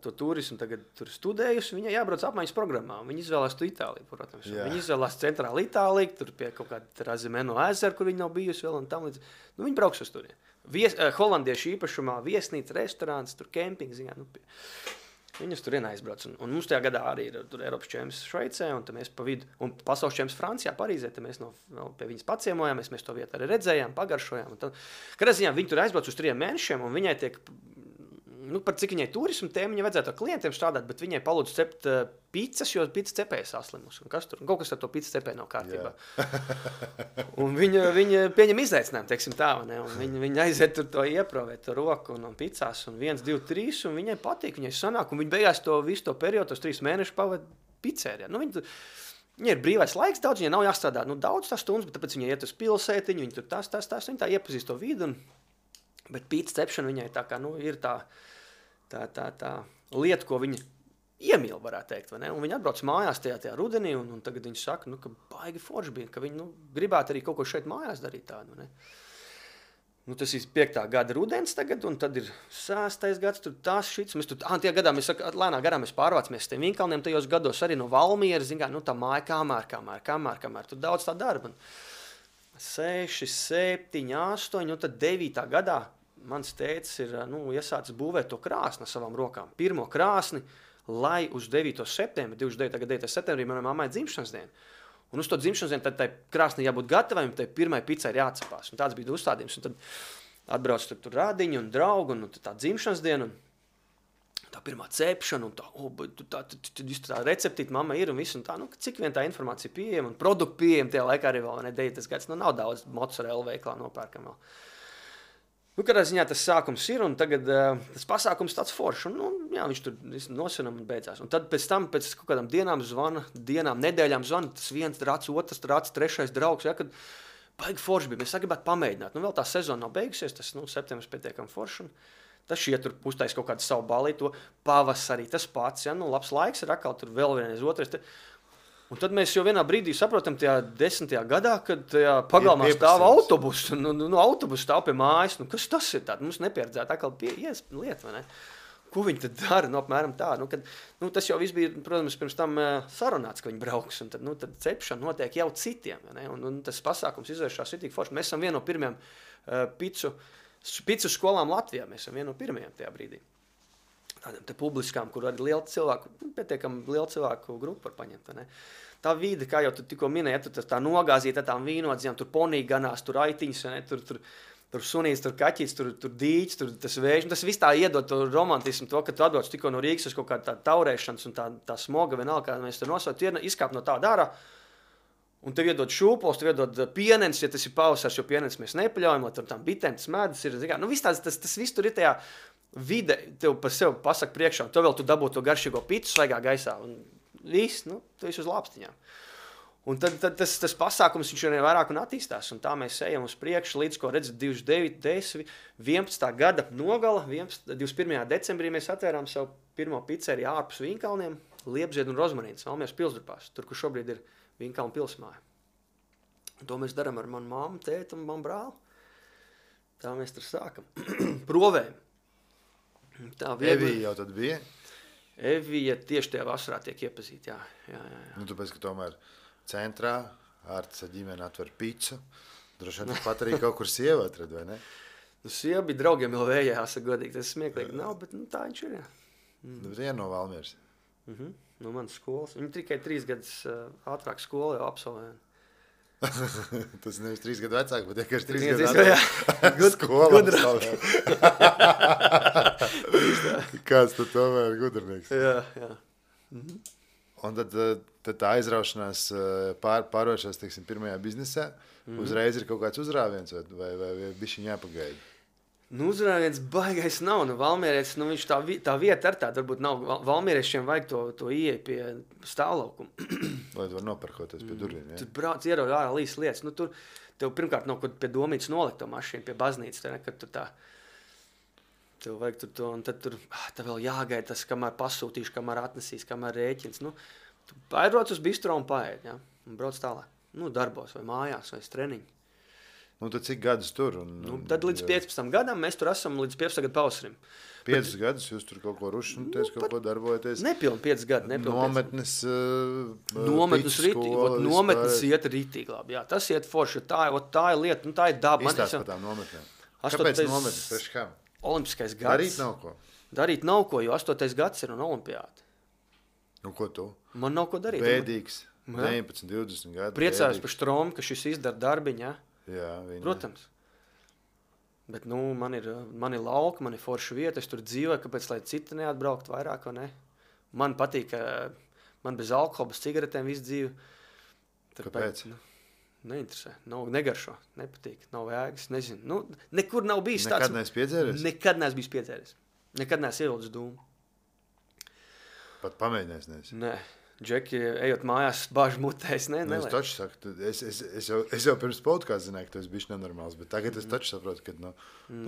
to turismu tagad tur studējusi, viņa jābrauc apmaiņas programmā. Viņa izvēlās to Itāliju, protams. Viņa izvēlās centrālu Itāliju, tur pie kaut kāda Razimeno ezera, kur viņa nav bijusi vēl un tam līdz. Viņa brauks uz turien. Holandiešu īpašumā viesnīca, restorāns, tur kempings, viņas turien aizbrauc. Un mums tajā gadā arī ir tur Eiropas čempions Šveicē, un mēs pa vidu, un pasaules čempions Francijā, Parīzē, mēs pie viņas paciemojāmies, mēs to vietu arī redzējām, pagaršojām. Kādā ziņā viņi tur aizbrauc uz 3 mēnešiem, un viņai tiek par cik viņai turismu tēma, viņai vajadzētu ar klientiem strādāt, bet viņai palūdzu cept pizzas, jo pizza cepēja saslimus. Un kaut kas ar to pizza cepēja nav kārtībā. Un viņa pieņem izaicinājumu, teiksim tā, ne? Un viņa aiziet tur to ieprovēt, to roku un pizzās, un 1, 2, 3, un viņai patīk, viņai sanāk, un viņa beigās visu to periodu, tos 3 mēnešus pavada pizzērijā. Viņai ir brīvais laiks daudz, viņai nav jāstrādā daudz tās stundas, bet tāpēc viņai iet uz pilsētiņu, viņa tur tas, viņa tā iepazīst to vidu, bet pizza cepšana viņai tā kā, ir tā lieta, ko viņa iemīl, varētu teikt, vai ne? Un viņa atbrauc mājās tajā rudenī, un tagad viņa saka, ka baigi forši bija, ka viņa gribētu arī kaut ko šeit mājās darīt tādu, ne? Tas ir 5. gada rudens tagad, un tad ir 6. gads, tur tās šits. Mēs tur, tie gadā, lēnā garā mēs pārvācamies tiem Vīnkalniem tajos gados arī no Valmieras, tā māja kamēr, tur daudz tā darba. 6, 7, 8, un tad 9. gadā mans tētis ir iesācis būvēt to krāsni ar savām rokām. Pirmo krāsni, lai uz 9. septembri, 9. septembrī manai mammai dzimšanas diena. Un uz to dzimšanas dienu tad tai krāsnī jābūt gatavai, un tai pirmai pizzai ir jāatcepās. Un tāds bija uzstādījums. Un tad atbrauc tur rādiņi un draugi, un tā dzimšanas diena, un tā pirmā cepšana, un tā receptīta mamma ir, un viss, un tā, cik vien tā informācija pieejama, un produktu pieejama tajā laikā arī vēl, 9. gads, nav daudz mozzarella veiklā nopērkam vēl. Kādā ziņā tas sākums ir, un tagad tas pasākums tāds foršs, un viņš tur nosinam un beidzās. Un tad pēc tam, pēc kaut kādām dienām, nedēļām zvana, tas viens rāds, otrs rāds, trešais draugs, kad baigi forši bija, mēs gribētu pamēģināt. Vēl tā sezona nav beigusies, tas septembris pietiekami forši, un tas šie tur uztais kaut kādu savu balīto, pavasarī tas pats, labs laiks ir atkal tur vēl vienreiz otrais. Un tad mēs jau vienā brīdī saprotam tajā 10. gadā, kad tajā pagalmā stāv autobus, autobus stāv pie mājas, kas tas ir tāda, mums nepieredzēta atkal lieta, vai ne? Ko viņi tad dara, apmēram tā, tas jau viss bija, protams, pirms tam sarunāts, ka viņi brauks, un tad cepšana notiek jau citiem, vai ne? Un tas pasākums izvēršās ir tik forši. Mēs esam viena no pirmajām picu skolām Latvijā, mēs esam viena no pirmajām tajā brīdī. Tādiem te publiskām, kur arī pietiekami liela cilvēku grupa var paņemt. Ne? Tā vide, kā jau tu tikko minēji, tur tā nogāzīta tām vīnodzījām, tur ponī ganās, tur aitiņas, tur sunīts, tur kaķīts, tur dīķis, tur tas vējš. Tas viss tā iedod to romantismu, to, ka tu atbrauc tikko no Rīgas uz kaut kādu tā taurēšanas un tā smoga vienalga, kā mēs tur nosaukt, izkāp no tā dārā. Un tev iedod šūpols, tev iedod pienens, ja tas ir pavasars, jo pienens mēs nepaļaujam, lai tur tām bitēm tas medus ir. Tas viss tur ir tajā vide, tev par sevi pasaka priekšā, un tev vēl tu dabū to garšīgo pitu svaigā gaisā, un viss, tu esi uz lāpstiņām. Un tad tas pasākums viņš arī vairāk un attīstās, un tā mēs ejam uz priekšu, līdz ko redzat 29, 10, 11. gada nogala, 21. decembrī mēs atvērām savu pirmo pizzeriju ārpus Vīnkalniem, Liepzied un Rozmanīnas, Valmieras pilsdrupās, tur, kur šobrīd ir Vīnkalnu pilsmāja. Un to mēs darām ar manu mammu, tēti un manu brāli. Tā mēs tur sākam. Provējam. Evija jau tad bija? Evija tieši tajā vasarā tiek iepazīta, jā. Tāpēc, ka tomēr centrā Ārtis ar ģimeni atver picu. Droši vien pat arī kaut kur sieva atrad, vai ne? Sieva bija draugiem jau vējā, jāsaka godīgi. Tas smieklīgi nav, bet tā viņš ir, jā. Viena no Valmieras. No manas skolas. Viņa tikai 3 gadus ātrāk skolu jau absolvēja. Tas nevis 3 gadu vecāk, bet vienkārši 3 gadu ātrāk skola absolvēja. Kāds tad tomēr gudrnieks. Jā. Un tad tā aizraušanās pārvēršās, teiksim, pirmajā biznesā. Uzreiz ir kaut kāds uzrāviens vai bišķiņ jāpagaida? Uzrāviens baigais nav. Valmierietis, viņš tā vieta ar tādu, varbūt nav. Valmieriešiem vajag to ieeja pie stāvlaukuma. Lai tu var nopērkoties pie durvīm, jā? Tur brauc ierauj ārā līdz lietas. Tur tev pirmkārt nav kaut pie domītas nolikt to mašīnu, pie baznīcas, kad tur tā. Tev vajag tur to, un tad tur tev vēl jāgaida tas, kamēr pasūtīšu, kamēr atnesīs, kamēr rēķins. Tu aizbrauc uz bistro un paēd, jā? Un brauc tālāk. Darbos vai mājās vai treniņi. Tad cik gadus tur? Tad līdz 15 gadam mēs tur esam līdz 15 gadu pavasarim. 5 gadus jūs tur kaut ko rušināties, kaut ko darbojaties? Nepilni 5 gadi. Nometnes Nometnes iet rītīgi labi. Jā, tas iet forši. Tā ir lieta, tā ir daba. Izstāst par tām nometnēm. Kāpēc nometnes? Priekš kā? Olimpiskais gads. Darīt nav ko, jo 8. gads ir un olimpiāda. Ko tu? Man nav ko darīt. Bēdīgs. 19, 20 gadi. Priecājos par Štromu, ka šis izdara darbiņu, jā, protams. Bet, man ir lauka, man ir forša vieta, es tur dzīvoju, kāpēc, lai citi neatbraukt vairāk, vai ne? Man patīk, man bez alkohola, bez cigaretēm visu dzīvi. Kāpēc? Neinteresē, negaršo, nepatīk, nav vēgas, nezinu. Nekur nav bijis tāds. Nekad neesi piedzēries? Nekad neesi bijis piedzēries. Nekad neesi ievilcis dūmu. Pat pamēģinājis neesi? Nē. Džeki, ejot mājās, bāžu mutē, es Es taču saku, es jau pirms podkāstu zināju, ka tu esi bišķi nenormāls, bet tagad es taču saprotu, ka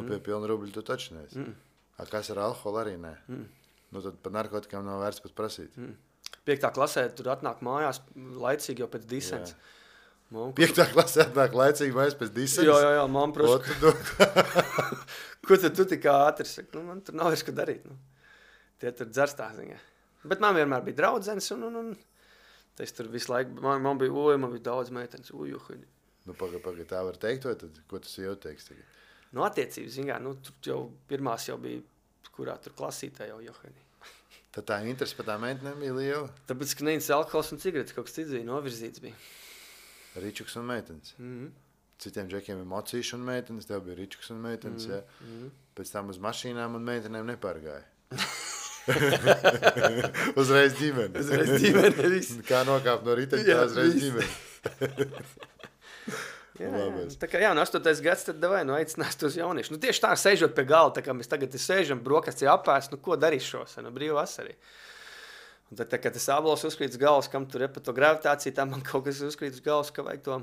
pie pilna rubļa tu taču neesi. Kas ar alkoholu arī nē? Tad par narkotikām nav vērts pat prasīt. 5. klasē tur atnāk mājās laicīgi jau pēc disens. 5. klasē atnāk laicīgi mājās pēc disens? Jā, man proši. Ko tad tu tik ātri saki? Man tur nav vairs ko darīt. Tie tur dzerstā ziņā. Bet man vienmēr bija draudzenes, un es tur visu laiku, man bija daudz meitenes, Pagaid, tā var teikt, vai tad, ko tas jau teiks tagad? Nu, attiecības, zin kā, nu, tur jau pirmās jau bija, kurā tur klasītā jau Johani. Tad tā interese par tā meitenēm bija liela? Tāpēc, ka neicis alkohols un cigaretes, kaut kas cits bija, novirzīts bija. Ričuks un meitenes. Citiem džekiem ir mocīši un meitenes, tev bija ričuks un meitenes, ja? Pēc tam uz mašīnām un meitenēm nepārgāja. Uzreiz ģimene. Uzreiz ģimene, viss. Kā nokāpt no riteņa, tā uzreiz ģimene. Tā kā jā, no 8. gads tad davai, nu aicinās tos jaunieši. Nu tieši tā, sēžot pie galda, tā kā mēs tagad sēžam, brokastis apēst, nu ko darīs šos, nu brīvu vasarī. Un tad, kad tas ābols uzkrīt uz galvas, kam tur pa to gravitāciju, tā man kaut kas uzkrīt uz galvas, ka vajag to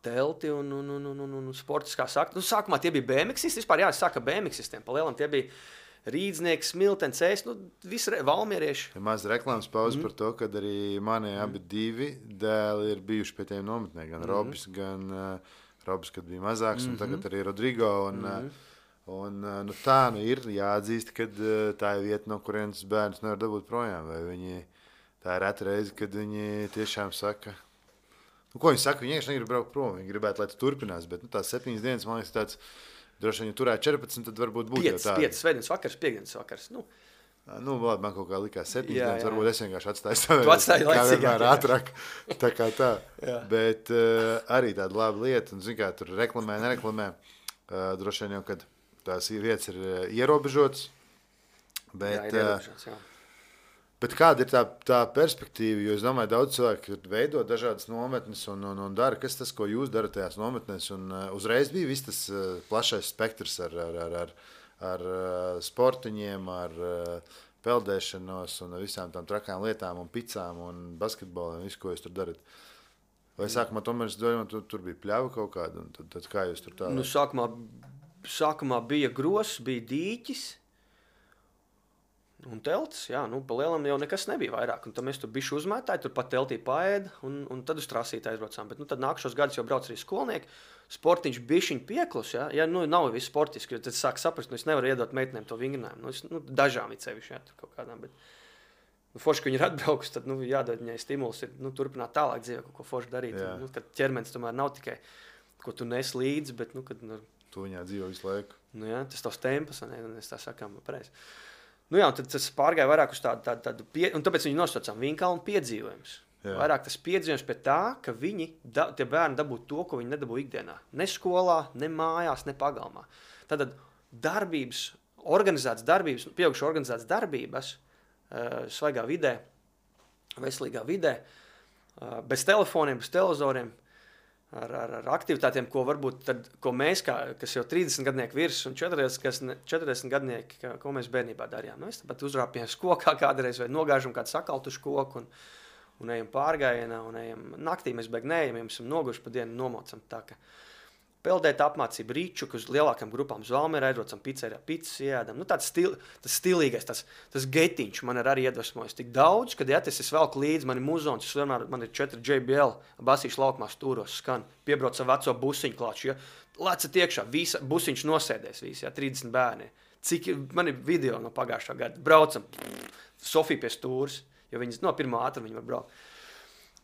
telti un sportiskā sakt. Nu sākumā tie bija BMXisti, vispār jā, es sāku BMXistiem, pa lielam tie bija Rīdznieks, Smiltens, nu visi valmierieši. Ir maz reklāmas pauze par to, kad arī mani abi divi dēli ir bijuši pie tiem nometnē, gan Robis, gan Robis, kad bija mazāks, un tagad arī Rodrigo. Un nu, tā nu ir jāatzīst, ka tā ir vieta, no kurienes bērns nevar dabūt projām. Vai viņi, tā ir reta reize, kad viņi tiešām saka, nu, ko viņi saka, viņi vienkārši negrib braukt prom, viņi gribētu, lai tas turpinās, bet nu, tās 7 dienas, man liekas, tāds, droši vien, ja turētu 14, tad varbūt būtu jau tā. 5 svētdienas vakars, 5 vakars, nu. Nu, labi, man kaut kā likās 7 dienas, varbūt es vienkārši atstāju savu. Tu atstāji laicīgāk. Ātrāk, tā kā tā. Bet arī tāda laba lieta, un zin kā, tur reklamē, nereklamē, droši vien jau, kad tās vietas ir ierobežotas. Bet, jā, ir ierobežotas, jā. Bet kāda ir tā perspektīva? Jo es domāju, daudz cilvēku veido dažādas nometnes un dara. Kas tas, ko jūs darat tajās nometnēs? Un uzreiz bija viss tas plašais spektrs ar sportiņiem, ar peldēšanos un visām tām trakām lietām un picām un basketboliem, visu, ko jūs tur darat. Vai sākumā tomēr es domāju, tur bija pļava kaut kāda? Un tad kā jūs tur tā? Nu, sākumā bija gross, bija dīķis. Un teltis, jā, nu, pa lielam jau nekas nebija vairāk. Un tad mēs tur bišķi uzmētāji, tur pat teltī paēda, un tad uz trasīti aizbraucām. Bet nu, tad nākušos gadus jau brauc arī skolnieki. Sportiņš bišķiņ pieklus, jā. Ja nu, nav viss sportiski, jo tad sāk saprast, nu, es nevaru iedot meitenēm to vingrinājumu. Nu, dažām ir sevišķi, jā, tur kaut kādām, bet nu, forši, ka viņi ir atbraukus, tad nu, jādod viņai stimuls ir nu, turpināt tālāk dzīvē, kaut ko forši darīt. Un, nu, kad ķermenis tomēr nav tikai, ko tu nes līdzi, bet, nu, kad... Nu, tu viņā dzīvo visu laiku. Nu, jā, tas tavs tempas, un es tā sakām, pareizi. Nu jā, un tad tas pārgāja vairāk uz tādu un tāpēc viņi nosaucām Vinkalnu piedzīvojums. Vairāk tas piedzīvojums pie tā, ka tie bērni dabūtu to, ko viņi nedabū ikdienā. Ne skolā, ne mājās, ne pagalmā. Tātad darbības, organizētas darbības, pieaugušu organizētas darbības, svaigā vidē, veselīgā vidē, bez telefoniem, bez televizoriem, ar aktivitātēm, ko varbūt tad, ko mēs, kas jau 30 gadnieki virs un 40 gadnieki, ko mēs bērnībā darījām. Nu, mēs tāpat uzrāpjām kokā kādreiz vai nogāžam kādu sakaltušu koku un ejam pārgājienā un ejam naktī, mēs beig neejam, ja mēs esam noguši pa dienu nomocam tā, ka peldēt apmācību rīču, uz lielākām grupām uz Valmierā aizrocam pizzerā, pizzas iedam. Nu, tas stilīgais, tas getiņš man ir arī iedvesmojis tik daudz, kad es velku līdzi, man ir muzons, man ir 4 JBL, basīšu laukumā stūros skan, piebrauc ar veco busiņu klāču, ja, lecat iekšā, busiņš nosēdēs visi, ja, 30 bērni. Cik man ir video no pagājušā gada, braucam, Sofija pie stūras, jo viņas no pirmā ātruma viņa var braukt.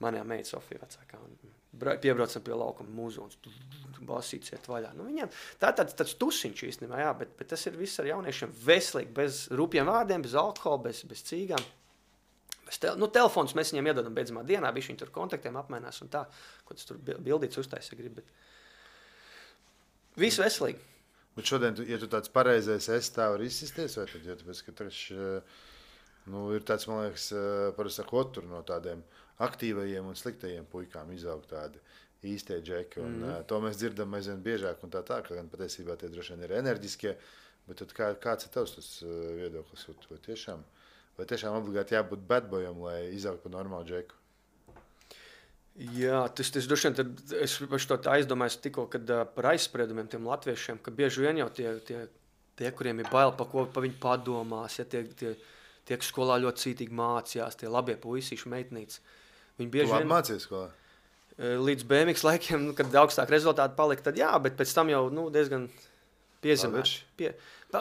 Manējā meita Sofija vecākā, piebraucam pie laukuma muzons, basīts iet vaļā. Nu, viņiem tā ir tāds tusiņš īstenībā, jā, bet tas ir viss ar jauniešiem veselīgi, bez rupjiem vārdiem, bez alkohola, bez cīgām. Telefons mēs viņiem iedodam beidzamā dienā, bišķi viņi tur kontaktiem apmainās un tā, ko tas tur bildīts uztaisa grib, bet viss veselīgi. Bet šodien, ja tu tāds pareizais esi, tā var izsisties, vai tad, jo tāpēc, ka ir tāds, man liekas, parasti sakot, tur no tādiem aktīvajiem un sliktajiem puikām izaug tādi īstie džeki, un to mēs dzirdam aizvien biežāk, un tā, ka gan patiesībā tie droši vien ir enerģiskie, bet tad kāds ir tavs tas viedoklis, vai tiešām obligāti jābūt badboyam, lai izaugt par normālu džeku? Jā, tas droši vien, es to aizdomājos tikko, kad par aizspriedumiem tiem latviešiem, ka bieži vien jau tie kuriem ir bail, pa viņu padomās, ja tie, kas skolā ļoti cītīgi mācījās, tie labie puisīši, meitnītes. Viņi bieži vien mācīja skolā? Līdz BMX laikiem, kad augstāk rezultāti palika, tad jā, bet pēc tam jau diezgan piezemēt.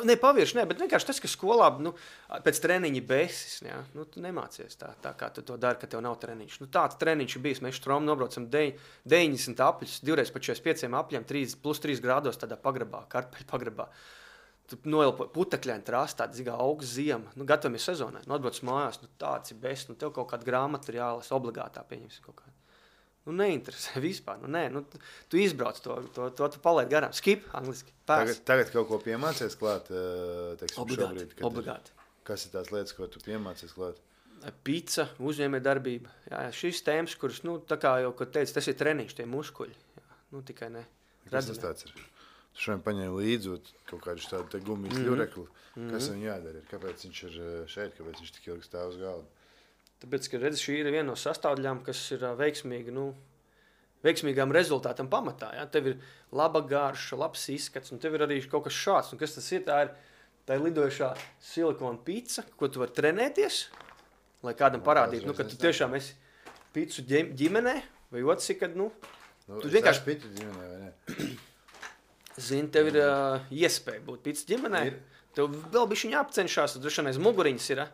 Ne pavirši, ne, bet vienkārši tas, ka skolā pēc treniņa besis, ja, tu nemācies tā kā tu to dari, ka tev nav treniņš. Tāds treniņš ir bijis, mēs Štromu nobraucam 90 apļus, 2 pa 45 apļiem, plus 3 grādos tādā pagrabā, kartupeļu pagrabā. Tu noelpo putekļaini trās, tāda zigā augsts ziema, gatavamies sezonai, atbrauc mājās, tāds ir best, tev kaut kāda grāmata ir jālasa obligātā, pieņemsim kaut kādu. Neinteresē vispār. Tu izbrauc to tu palaid garām. Skip, angliski. Tagad kaut ko piemācies klāt, teiksim, obligāti, šobrīd. Obligāti. Kas ir tās lietas, ko tu piemācies klāt? Pica, uzņēmējdarbība. Jā, šīs tēmas, kuras, tā kā jau, kad teicu, tas ir treniņš, tie muskuļi. Jā, tikai ne. Kas tas tāds ir? Tu šodien paņēmi līdzi kaut kādu tādu te gumijas ļurekli. Kas viņam jādara? Kāpēc viņš ir šeit? Kāpēc viņš tik ilgi stāv uz galda? Tāpēc, ka redz, šī ir viena no sastāvdaļām, kas ir veiksmīgām rezultātam pamatā. Ja? Tev ir laba garša, labs izskats, un tev ir arī kaut kas šāds. Un kas tas ir? Tā ir lidojušā silikona pica, ko tu vari trenēties, lai kādam parādītu, ka tu tiešām esi picu ģimenē, vai otrs ir, kad, tu vienkārši... picu ģimenē, vai ne? Zini, tev ir iespēja būt picu ģimenē. Tev vēl bišķiņ jāapcenšās, tad droši vien aiz muguriņas ir,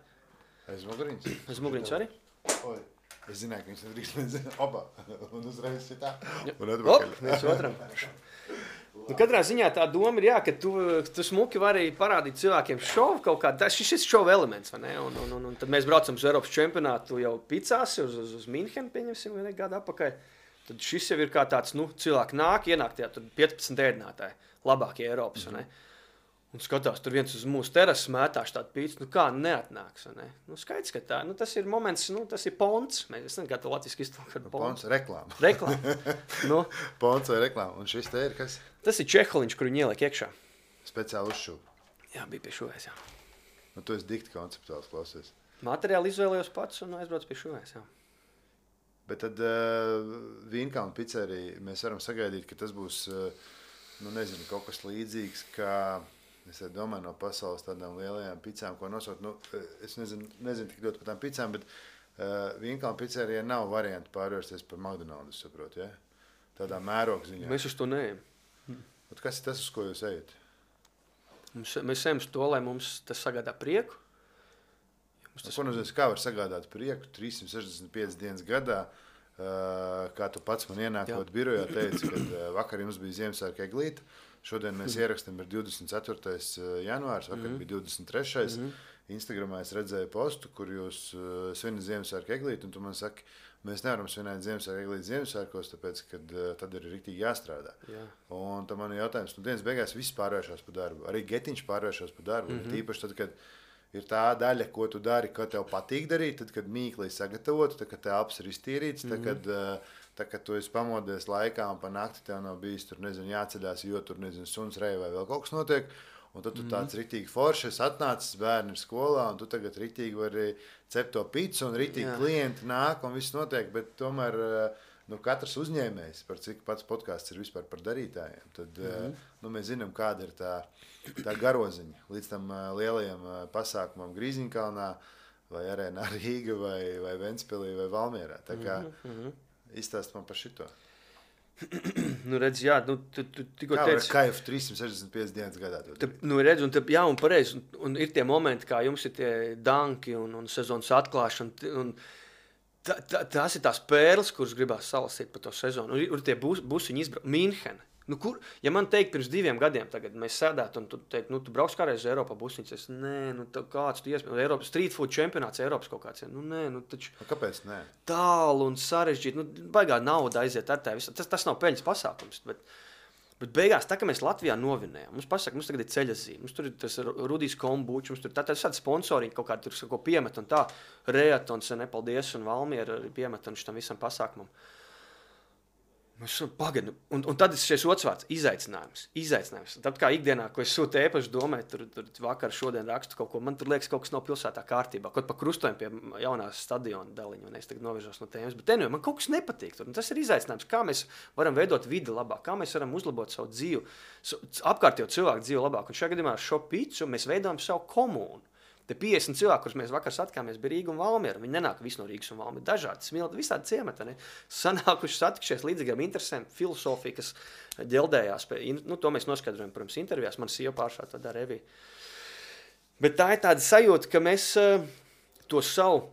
Aiz muguriņas? Aiz muguriņas arī? Oi, es zināju, ka viņš nedrīkst nezinu. Opa, un uzreiz šitā. Un atpakaļ. Viens otram. Katrā ziņā tā doma ir, ka tu smuki vari parādīt cilvēkiem šovu kaut kādu. Šis ir šova elements, vai ne? Un tad mēs braucam uz Eiropas čempionātu jau picās, uz Minhenu, pieņemsim, vai ne, gadu apakaļ. Tad šis jau ir kā tāds, cilvēki ienāk tajā, tur 15 ēdinātāji, labākie Eiropas, vai ne? Un skatās, tur viens uz mūsu terases mētāši tādu pīci, kā neatnāks, vai ne? Skaidrs, ka tā, tas ir moments, tas ir ponts. Es nezinu, kā to latviski iztulkot. Ponts, reklāma. Reklāma. Ponts vai reklāma. Un šis te ir kas? Tas ir čeholiņš, kur viņi ieliek iekšā. Speciāli uzšūp. Jā, bija pie šuvēs, jā. Tu esi dikti konceptuāls klausies. Materiāli izvēlējos pats un aizbrauc pie šuvēs, jā. Bet tad Vīnkalna picerija mēs varam sagaidīt, ka tas būs, nezinu, kaut kas līdzīgs, kā... Es domāju no pasaules tādām lielajām picām, ko nosaukt. Es nezinu tik ļoti par tām picām, bet Vīnkalna picerijā nav varianti pārvērsties par McDonald's, saprotu, ja? Tādā mēroga ziņā. Mēs uz to neejam. Kas ir tas, uz ko jūs ejat? Mēs ejam uz to, lai mums tas sagādā prieku. Ko nozīmē, kā var sagādāt prieku 365 dienas gadā, kā tu pats man ienākot birojā teici, kad vakar jums bija Ziemassvētku eglīte. Šodien mēs ierakstām ir 24. janvārs, vakar bija 23. Instagramā es redzēju postu, kur jūs svinat Ziemassvētku eglīti, un tu man saki, mēs nevaram svinēt Ziemassvētku eglīti Ziemassvētkos, tāpēc, kad tad ir riktīgi jāstrādā. Jā. Un tad man ir jautājums, dienas beigās viss pārvēršās par darbu, arī getiņš pārvēršās par darbu, tīpaši tad, kad ir tā daļa, ko tu dari, ko tev patīk darīt, tad, kad mīkli sagatavotu, tad, kad telpas ir iztīrīts, tad, kad tu esi pamodies laikā un pa nakti tev nav bijis tur, jāceļās, jo tur, suns reja vai vēl kaut kas notiek, un tad tu tāds riktīgi foršs atnācis, bērni ir skolā, un tu tagad riktīgi vari cept to picu, un riktīgi klienti nāk, un viss notiek, bet tomēr katrs uzņēmējs, par cik pats podcasts ir vispār par darītājiem, tad mēs zinām, kāda ir tā garoziņa līdz tam lielajam pasākumam Grīziņkalnā, vai Arēnā Rīga, vai Ventspilī, vai Valmierā. Tā kā izstāst man par šito. Redz, jā, tu tikko teici... Kā jau 365 dienas gadā? Redz, un pareizi, un ir tie momenti, kā jums ir tie danki un sezonas atklāšana, un tās ir tās pērles, kuras gribās salasīt par to sezonu. Un ir tie busiņi izbraukt. Minhena. Ja man teikt, pirms 2 gadiem tagad mēs sēdētu un tu teikt, tu brauks kādreiz uz Eiropā busiņas, es, kāds tu iespēj, Eiropas street food čempionāts Eiropas kaut kāds, taču... Kāpēc nē? Tālu un sarežģīt, baigā nauda aiziet ar tevi, tas nav peļņas pasākums, bet beigās, tā kā mēs Latvijā novinējām, mums pasaka, mums tagad ir ceļazīme, mums tur ir tas Rudijs Kombučs, mums tur tādi sponsoriņi kaut kādi tur ko piemet un tā, Reatons, nepaldies un Valmiera piemet un šitam visam pasākumam. Pagaidu, un tad ir šis otrs vārds, izaicinājums. Tad kā ikdienā, ko es sūtu ēpaši domāju, tur vakar šodien rakstu kaut ko, man tur liekas kaut kas nav pilsētā kārtībā, kaut pa krustojumu pie jaunās stadiona daliņa, un es tagad novirzos no tēmas, bet man kaut kas nepatīk tur, un tas ir izaicinājums, kā mēs varam veidot vidi labāk, kā mēs varam uzlabot savu dzīvi, apkārtējo cilvēku dzīvi labāk, un šajā gadījumā ar šo picu mēs veidojam savu komūnu. Te 50 cilvēki, kurus mēs vakar satikāmies, bija Rīga un Valmiera. Viņi nenāk visi no Rīgas un Valmiera. Dažādi smilti, visādi ciemati. Sanākuši satikšies līdzīgiem interesēm, filosofija, kas ģeldējās. To mēs noskaidrojam, protams, intervijās. Man sieva pāršā to dara Evija. Bet tā ir tāda sajūta, ka mēs to savu,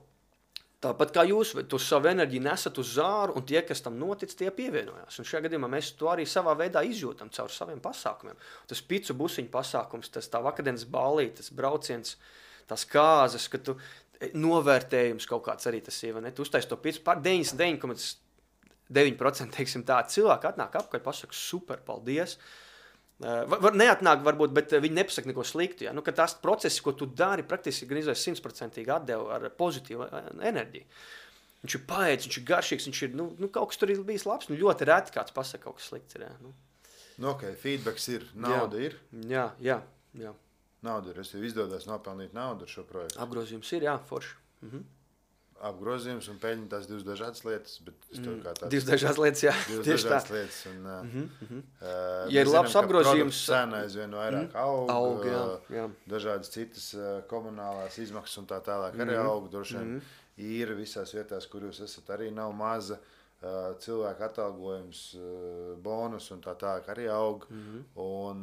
tāpat kā jūs, to savu enerģiju nesat uz zāru, un tie, kas tam notic, tie pievienojās. Un šajā gadījumā mēs to arī savā veidā izjūtam caur saviem pasākumiem. Tas picu busiņu pasākums, tas tā vakardienas ballīte, tas brauciens, tās kāzas, ka tu novērtējums kaut kāds arī tas ir, ne? Tu uztaisi to picu pār 99,9%, teiksim tā, cilvēki atnāk apkaļ, pasaka super, paldies. Neatnāk varbūt, bet viņi nepasaka neko sliktu. Ja? Nu, ka tās procesi, ko tu dari, praktiski gan izvēs 100% atdevu ar pozitīvu enerģiju. Viņš ir paēdis, viņš ir garšīgs, viņš ir, kaut kas tur ir bijis labs. Nu, ļoti reti kāds pasaka kaut kas slikts. Ir, ja? Ok, feedbacks ir, nauda ir. Jā. Nauda ir, es tev izdodas nopelnīt naudu ar šo projektu. Apgrozījums ir, jā, forši. Apgrozījums un peļņa tās divas dažādas lietas, bet es tev kā tāds... Divas dažādas lietas, jā. Divas dažādas lietas, un... Ja ir labs apgrozījums... Cena aizvien vairāk aug, jā. Dažādas citas komunālās izmaksas un tā tālāk arī aug, droši vien īra visās vietās, kur jūs esat, arī nav maza, cilvēku atalgojums, bonus un tā tālāk arī aug, un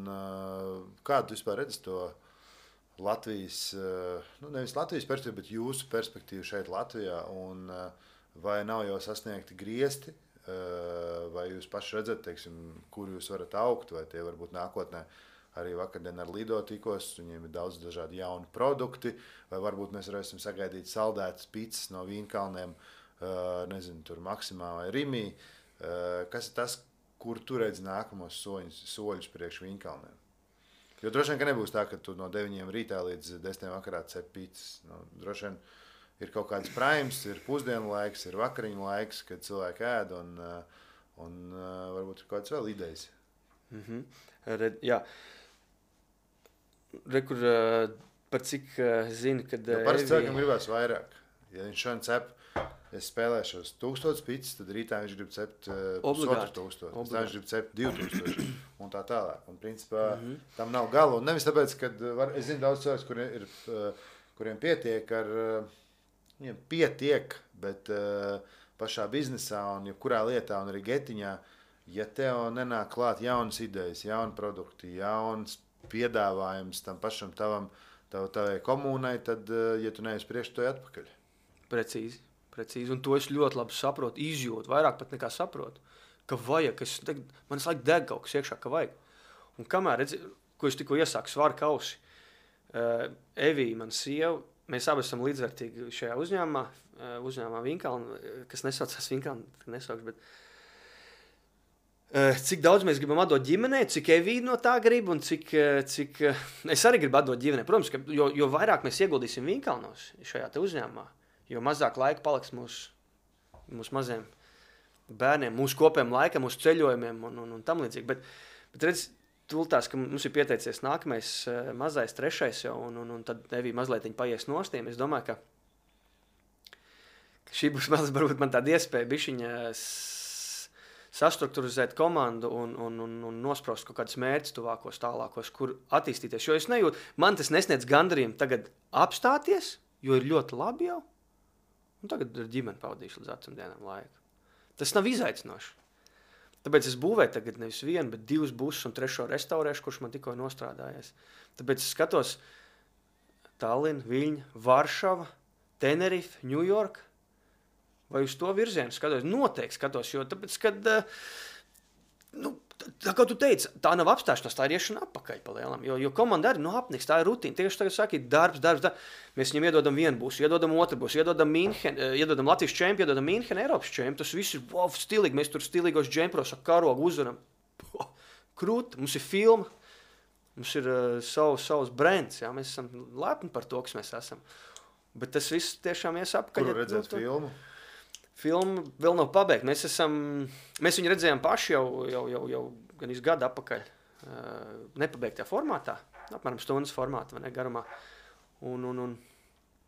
kādu tu vispār redzi to Latvijas, nevis Latvijas perspektīvu, bet jūsu perspektīvu šeit Latvijā, un vai nav jau sasniegti griesti, vai jūs paši redzat, teiksim, kur jūs varat augt, vai tie varbūt nākotnē arī vakardien ar Lido tikos, viņiem ir daudz dažādi jauni produkti, vai varbūt mēs varēsim sagaidīt saldētas picas no Vīnkalniem, nezinu, tur Maksimā vai Rimī. Kas ir tas, kur tu redzi nākamos soļus priekš Vīnkalniem? Jo droši vien, ka nebūs tā, ka tu no 9 rītā līdz 10 vakarā cep pīcis. Droši vien ir kaut kāds primes, ir pusdienu laiks, ir vakariņu laiks, kad cilvēki ēd, un varbūt ir kaut kāds vēl idejas. Jā. Kur par cik zini, kad... Parasti cilvēkam gribās vairāk. Ja viņš šodien cep, es spēlēšos 1000 pīcis, tad rītā viņš grib cept 4000, tad viņš grib cept 2000 un tā tālāk. Un principā tam nav gala. Un nevis tāpēc, ka es zinu daudz cilvēks, kuriem pietiek viņiem pietiek, bet pašā biznesā un jebkurā lietā un arī getiņā, ja tev nenāk klāt jaunas idejas, jauni produkti, jauns piedāvājums tam pašam tavai komūnai, tad, ja tu neesi priekš, to atpakaļ. Precīzi. Un to es ļoti labi saprotu, izjūtu, vairāk pat nekā saprotu, ka vajag, man laik deg kaut kas iekšā, ka vajag. Un kamēr, ko es tikko iesāku svaru kausi, Evija, man sieva, mēs abi esam līdzvērtīgi šajā uzņēmumā Vīnkalna, kas nesaucās Vīnkalna, nesaukšu, bet cik daudz mēs gribam atdot ģimenei, cik Evija no tā grib un cik es arī gribu atdot ģimenei. Protams, ka jo vairāk mēs ieguldīsim Vīnkalnos šajā te uzņēmumā, jo mazāk laika paliks mūsu maziem bērniem, mūsu kopējiem laikam, mūsu ceļojumiem un tam līdzīgi. Bet redz, tultās, ka mums ir pieteicies nākamais mazais, trešais jau, un tad Evija mazliet paies nostiem. Es domāju, ka šī būs varbūt man tāda iespēja bišķiņa sastrukturizēt komandu un nospraust kaut kādus mērķus tuvākos, tālākos, kur attīstīties. Jo es nejūtu, man tas nesniedz gandarījumu tagad apstāties, jo ir ļoti labi jau. Un tagad ar ģimeni pavadīšu līdz vecumdienām laiku. Tas nav izaicinoši. Tāpēc es būvēju tagad nevis vienu, bet 2 busus un 3 restaurēšu, kurš man tikko nostrādājies. Tāpēc es skatos Tallina, Viļņa, Varšava, Tenerife, New York. Vai uz to virzienu skatos? Noteikti skatos, jo tāpēc, kad, tā kā tu teici, tā nav apstāšanās, tā ir iešana atpakaļ pa lielam, jo komanda arī apniks, tā ir rutīna. Tieši tagad saki, darbs. Mēs viņam iedodam vienu busu, iedodam otru busu, iedodam Latvijas čempi, iedodam Mīnhenu, Eiropas čempi. Tas viss ir stilīgi, mēs tur stilīgos džempros ar karogu uzvaram. Krūti, mums ir filma, mums ir savs brands, jā, mēs esam lepni par to, kas mēs esam. Bet tas viss tiešām ies apkaļ. Kur redzēt filmu? Filma vēl nav pabeigta. Mēs viņu redzējām paši jau gan gadu atpakaļ. Nepabeigtā formātā, apmēram stundas formātā, vai ne, garumā.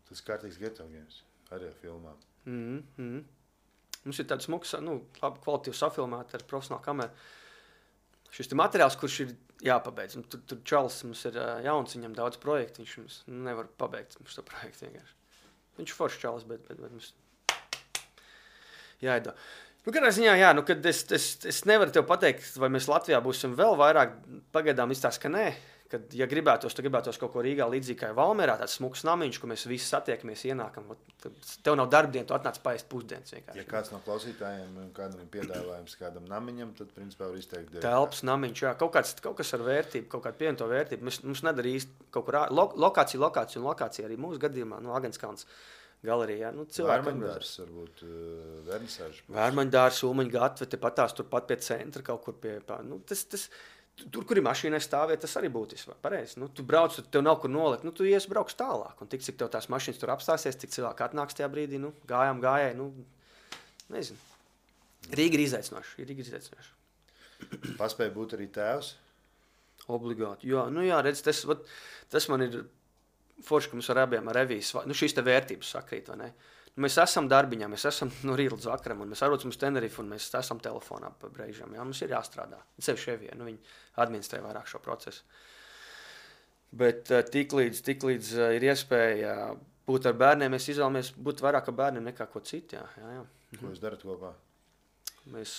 Tas kārtīgs Geto games, arī ar filmām. Mums ir tāds smuks, labi kvalitīvi safilmēti ar profesionālu kameru. Šis materiāls, kurš ir jāpabeidz. Tur Čalis mums ir jauns, viņam daudz projektu, viņš mums nevar pabeigt mums to projektu vienkārši. Viņš ir foršs Čalis, bet mums jāido. Kādā ziņā, jā, kad es nevaru tev pateikt, vai mēs Latvijā būsim vēl vairāk, pagaidām izstāst, ka nē. Kad, ja gribētos kaut ko Rīgā līdzīgi kā Valmierā, tāds smuks namiņš, kur mēs visi satiekamies, ienākam. Tev nav darbdiena, tu atnāc paēst pusdienas vienkārši. Ja kāds no klausītājiem kādam ir piedāvājums kādam namiņam, tad principā var izteikt. Telpas namiņš, jā, kaut kas ar vērtību, kaut kāda pievienoto vērtību. Mums nedara īsti kaut kur lokācija arī mūsu gadījumā, no Agenskalns galerijā. Vērmaņdārs, varbūt vernisāžu. Vērmaņdārs, Ulmaņa gatve, tepat turpat pie centra kaut kur pie. Tur, kur ir mašīnai stāvēt, tas arī būtiski. Pareizi. Tu brauc, tev nav kur nolikt. Tu brauks tālāk. Un tik, cik tev tās mašīnas tur apstāsies, cik cilvēki atnāks tajā brīdī, gājēji. Nezinu. Rīga ir izaicinoša. Paspēja būt arī tēvs? Obligāti. Jā, redz, tas man ir forši, ka mums ar abiem ar revijas. Šīs te vērtības sakrīt, vai ne? Mēs esam darbiņā, mēs esam no rīta līdz vakaram, un mēs atrodamies uz Tenerife, un mēs esam telefonā pa brīžam. Jā, mums ir jāstrādā. Sevišķi Evija, viņi administrē vairāk šo procesu. Bet tiklīdz ir iespēja būt ar bērniem, mēs izvēlamies būt vairāk ar bērniem nekā ko citu. Jā. Ko jūs darat kopā? Mēs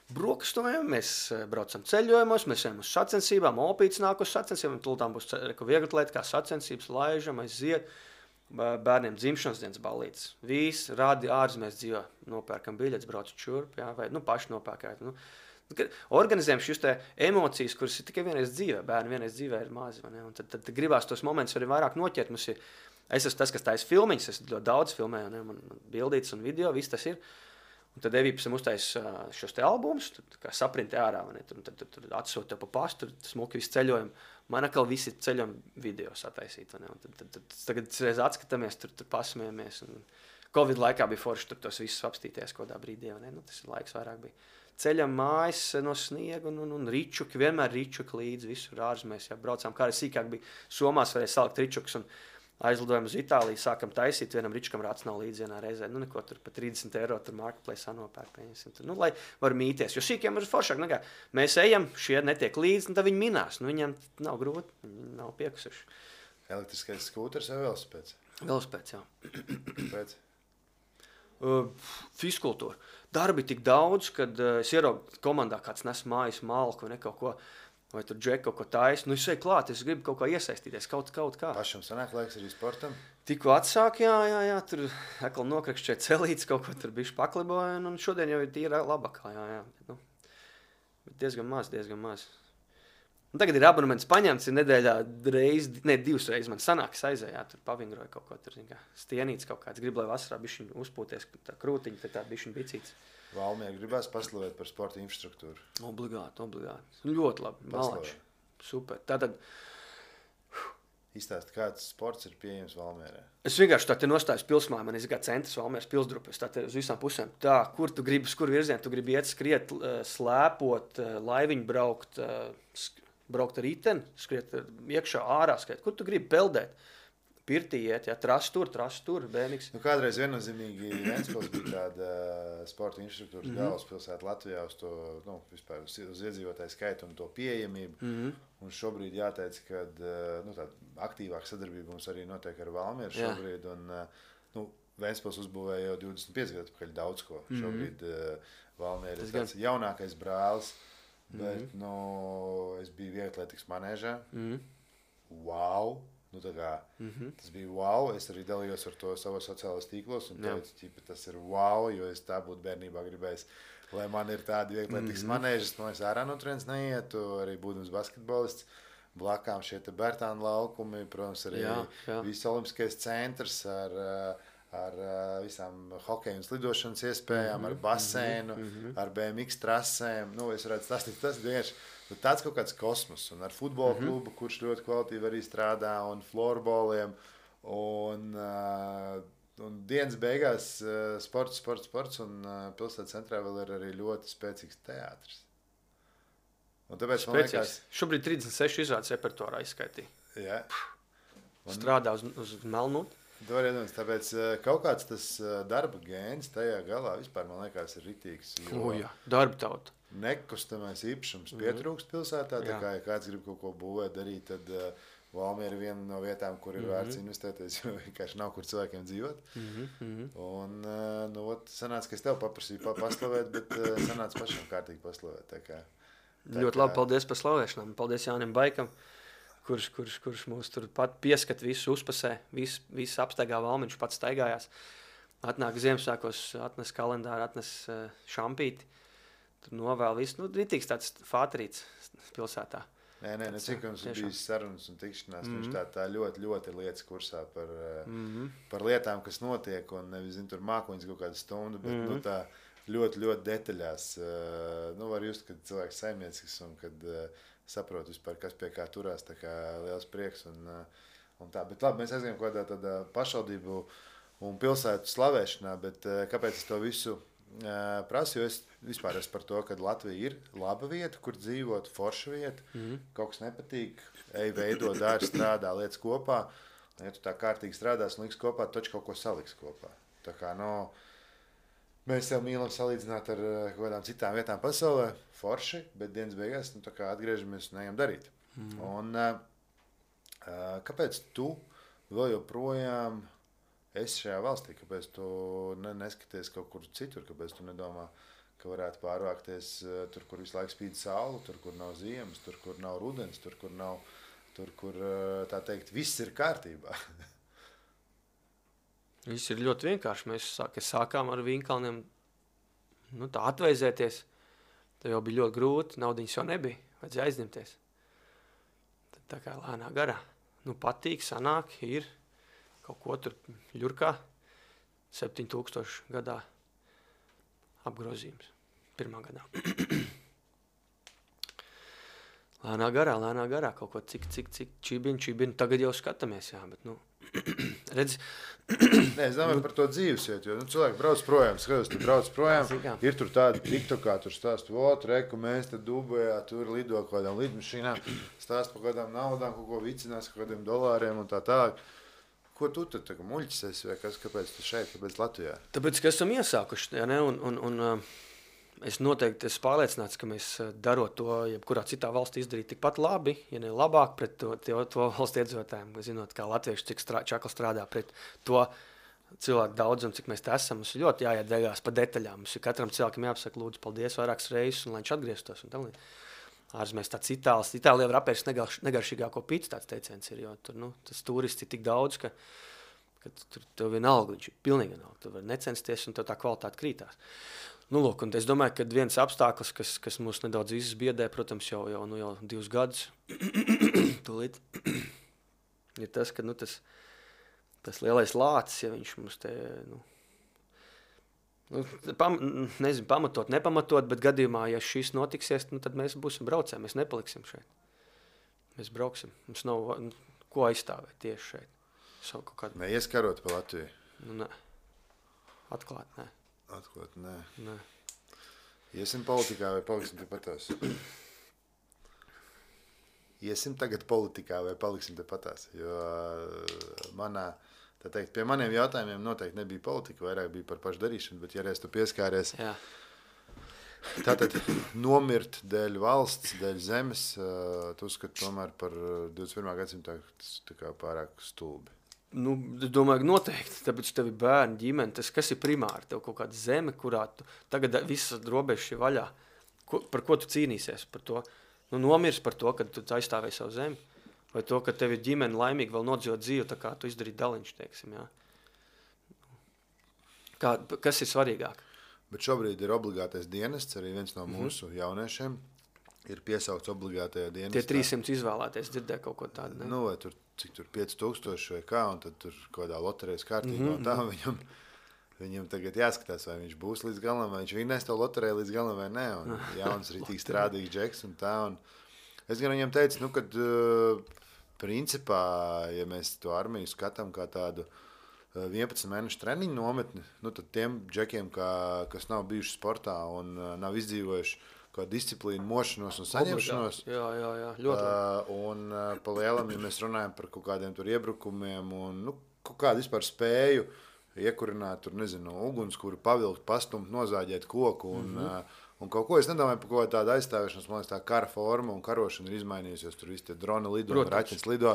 brokastojam, mēs braucam ceļojumos, mēs ejam uz sacensībām, Opīts nāk uz sacensībām, tultām būs vieglatlēti kā sacensības, laižam, aiziet. Bērniem dzimšanas dienas ballītes. Visi rādi ārzemēs dzīvo, nopērkam biļetes, braucu čurp, jā, vai paši nopērkāt. Organizējam šīs emocijas, kuras ir tikai vienreiz dzīvē. Bērni vienreiz dzīvē ir mazi. Un tad gribās tos momentus arī vairāk noķert. Es esmu tas, kas taisa filmiņas, es ļoti daudz filmēju, man bildītas un video, viss tas ir. Un tad Evija pēc tam uztaisa šos te albumus, kā saprintē ārā, tur atsūta tev pa pastu, tur smuki visi ceļojumi. Man atkal visi ceļojumi video sataisīt. Tagad reiz atskatāmies, tur pasmējamies. Covid laikā bija forši tur tos visus apstīties kādā brīdī. Tas laiks vairāk bija. Ceļam mājas no sniega un ričuki, vienmēr ričuki līdzi visur ārzemēs. Jā, braucām, kā arī sīkāk bija Somās, varēja salikt ričukus un aizlidojam uz Itāliju, sākam taisīt, vienam ričukam rāds nav līdzi vienā reizē. Neko tur pa 30 eiro tur marketplace nopērk, pieņemsim. Lai var mīties, jo sīkiem ir foršāk. Mēs ejam, šie netiek līdzi, un tad viņi minās. Viņiem nav grūti, viņi nav piekusuši. Elektriskais skūters vai velosipēds? Velosipēds, jā. Pēc? Fiskultūra. Darbi tik daudz, kad es ieraugu komandā kāds nes mājas malku vai kaut ko. Vai tur džek kaut ko taisa. Es eju klāt, es gribu kaut kā iesaistīties, kaut kā. Pašam sanāk laiks arī sportam? Tikko atsāk, jā, tur atkal nokrakšķē celītes, kaut ko tur bišķi pakliboja, un šodien jau ir tīra labākā, jā. Bet diezgan maz. Un tagad ir abonements paņemts, ir nedēļā divas reizes man sanāk, es aizēju, tur pavingroju kaut ko, tur stienīts kaut kāds, gribu, lai vasarā bišķiņ uzpūties, tā krūtiņa, tā bišķiņ bicīts. Valmiera gribās paslavēt par sporta infrastruktūru. Obligāti. Ļoti labi. Malači. Super. Tātad izstāst, kāds sports ir pieejams Valmierā. Es vienkārši tā te nostājos pilsmā, man ir centrs Valmieras pilsdrupas, tā te uz visām pusēm. Tā, kur tu gribi, kur virzienu, tu gribi iet skriet, slēpot, laiviņu braukt ar riteni, skriet iekšā ārā, skriet. Kur tu gribi peldēt? Pirtī iet, jā, tras tur, BMX. Kādreiz viennozīmīgi Ventspils bija tāda sporta infrastruktūras galvaspilsēta Latvijā uz to, vispār uz iedzīvotāju skaitu un to pieejamību. Un šobrīd jāteic, ka tāda aktīvāka sadarbība mums arī notiek ar Valmieru šobrīd. Un Ventspils uzbūvēja jau 25 gadu atpakaļ daudz ko. Šobrīd Valmiera ir tāds jaunākais brālis, bet es biju vieglatlētikas manēžā. Wow! Tas bija wow, es arī dalījos ar to savos sociālos tīklos un teicu, tas ir wow, jo es tā būtu bērnībā gribējis, lai man ir tādi vieglatlētikas manēžas, es ārā no turienes neietu, arī būdams basketbolists, blakām šie te Bērtāna laukumi, protams, arī viss olimpiskais centrs ar visām hokeja un slidošanas iespējām, ar baseinu, ar BMX trasēm, es varētu stāstīt, tas vienkārši tāds kaut kāds kosmos, un ar futbola klubu, kurš ļoti kvalitīvi arī strādā, un florboliem, un dienas beigās sports, un pilsētas centrā vēl ir arī ļoti spēcīgs teātris. Un tāpēc man liekas... Šobrīd 36 izrādes repertuārā izskaitīja. Jā. Strādā uz Melnūti. Tāpēc kaut kāds tas darba gēns tajā galā vispār, man liekas, ir ritīgs. Darba tauta. nekustamais īpašums pietrūkst pilsētā. Tā kā, ja kāds grib kaut ko būvēt, darīt, tad Valmiera ir viena no vietām, kur ir vērts investēties, jo vienkārši nav kur cilvēkiem dzīvot. Un, sanāca, ka es tev paprasīju paslavēt, bet sanāca pašam kārtīgi paslavēt. Tā kā, ļoti labi, paldies par slavēšanām. Paldies Jānim Baikam, kurš mūs tur pat pieskat visu uzpasē, visu apstaigā Valmi, viņš pats staigājās. Atnāk Ziemassvētkos, atnes kalendāru, atnes šampīti. Tur novēl visu, ritīgs tāds fātrīts pilsētā. Nē, cik mums ir bijis sarunas un tikšanās, viņš tā ļoti, ļoti lietas kursā par lietām, kas notiek, un nevis, tur mākoņas kaut kādu stundu, bet, tā ļoti, ļoti detaļās. Var just, kad cilvēks saimniecisks un kad saprot vispār, kas pie kā turās, tā kā liels prieks un tā. Bet labi, mēs aizgājam kaut kādā pašvaldību un pilsētu slavēšanā, bet kāpēc es to visu prasu, jo es vispār esmu par to, ka Latvija ir laba vieta, kur dzīvot, forša vieta, kaut kas nepatīk, veido, dari, strādā, lietas kopā, un ja tu tā kārtīgi strādās un liks kopā, taču kaut ko saliks kopā. Tā kā, mēs sev mīlam salīdzināt ar kaut kādām citām vietām pasaulē, forši, bet dienas beigās, tā kā atgriežamies un ejam darīt. Un kāpēc tu vēl joprojām esi šajā valstī, kāpēc tu neskaties kaut kur citur, kāpēc tu nedomā, ka varētu pārvākties tur, kur visu laiku spīd saule, tur, kur nav ziemas, tur, kur nav rudens, tur, kur tā teikt, viss ir kārtībā. Viss ir ļoti vienkārši. Mēs sākām ar Vinkalniem tā atveizēties. Tā jau bija ļoti grūti, naudiņas jau nebija, vajadzēja aizņemties. Tad tā kā lēnā garā. Patīk, sanāk, ir. Kaut ko tur ļurkā 7000 gadā apgrozījums. Pirmā gadā. Lēnā garā kaut ko cik čibini. Tagad jau skatāmies, jā, bet, redz. Nē, es domāju par to dzīvesvietu, jo cilvēki brauc projām, skatos, tu brauc projām, ir tur tādi tiktokā, tur stāst, reku, mēs te Dubajā, tur lido kaut kādām lidmašīnām, stāst par kādām naudām, kaut ko vicinās, kaut kādiem dolāriem un tā tālāk. Ko tu tad muļķis esi, vai kāpēc tu šeit, kāpēc Latvijā? Tāpēc, ka esam iesākuši, ja ne? Un es noteikti esmu pārliecināts, ka mēs darot to, jebkurā citā valstī izdarīt tikpat labi, ja ne labāk pret to valsts iedzīvotājiem, zinot, kā latvieši cik čakli strādā pret to cilvēku daudzumu, cik mēs te esam. Mums ir ļoti jāiet degās pa detaļām. Mums ir katram cilvēkam jāpasaka, lūdzu, paldies vairākas reizes, un lai viņš atgrieztos. Ārzemēs tāds Itālijā var apēst negaršīgāko pīci, tāds teiciens ir, jo tur, tas turists ir tik daudz, ka tur tev vienalga, viņš ir pilnīgi vienalga, tu vari necensties un tev tā kvalitāte krītās. Lūk, un es domāju, ka viens apstākļus, kas mūs nedaudz visus biedē, protams, jau 2 gadus, tūlīt, ir tas, ka, tas lielais lācis, ja viņš mums te, nezinu, pamatot, nepamatot, bet gadījumā, ja šis notiksies, tad mēs būsim braucēji, mēs nepaliksim šeit. Mēs brauksim. Mums nav ko aizstāvēt tieši šeit. Neieskarot pa Latviju? Nē. Atklāt, nē. Atklāt, nē. Nē. Iesim politikā vai paliksim te patās? Iesim tagad politikā vai paliksim te patās? Jo tā teikt, pie maniem jautājumiem noteikti nebija politika, vairāk bija par pašdarīšanu, bet ja reiz tu pieskāries, tātad nomirt dēļ valsts, dēļ zemes, tu uzskati tomēr par 21. gadsimtā tā kā pārāk stulbi. Es domāju, noteikti, tāpēc tev ir bērni, ģimene, tas kas ir primāri, tev kaut kāda zeme, kurā tu tagad visas robežas ir vaļā. Par ko tu cīnīsies? Par to, nomirs par to, kad tu aizstāvēji savu zemi. Vai to, ka tev ir ģimene laimīgi vēl nodzīvot dzīvi, tā kā tu izdarīji daliņš, teiksim, jā. Kas ir svarīgāk? Bet šobrīd ir obligātais dienests, arī viens no mūsu jauniešiem ir piesaukts obligātajā dienestā. Tie 300 izvēlēties, dzirdēja kaut ko tādu, ne? Vai tur, cik tur 5000 vai kā, un tad tur kādā loterijas kārtībā, un tā viņam tagad jāskatās, vai viņš būs līdz galam, vai viņš vinnēs to loteriju līdz galam vai ne, un jauns rītīgi strādīgs džeks un tā, un es gan viņam teicu, kad principā, ja mēs to armiju skatām kā tādu 11 mēnešu treniņu nometni, tad tiem džekiem, kas nav bijuši sportā un nav izdzīvojuši kā disciplīnu, mošanos un saņemšanos. Jā, ļoti. Un pa lielam, ja mēs runājam par kaut kādiem tur iebrukumiem un kaut kādu vispār spēju iekurināt tur, nezinu, ugunskura, pavilkt, pastumt, nozāģēt koku Un kaut ko es nedomāju par kaut tādu aizstāvēšanos, man liekas, tā kara forma un karošana ir izmainījusies, tur visi tie droni lido, raķenes lido,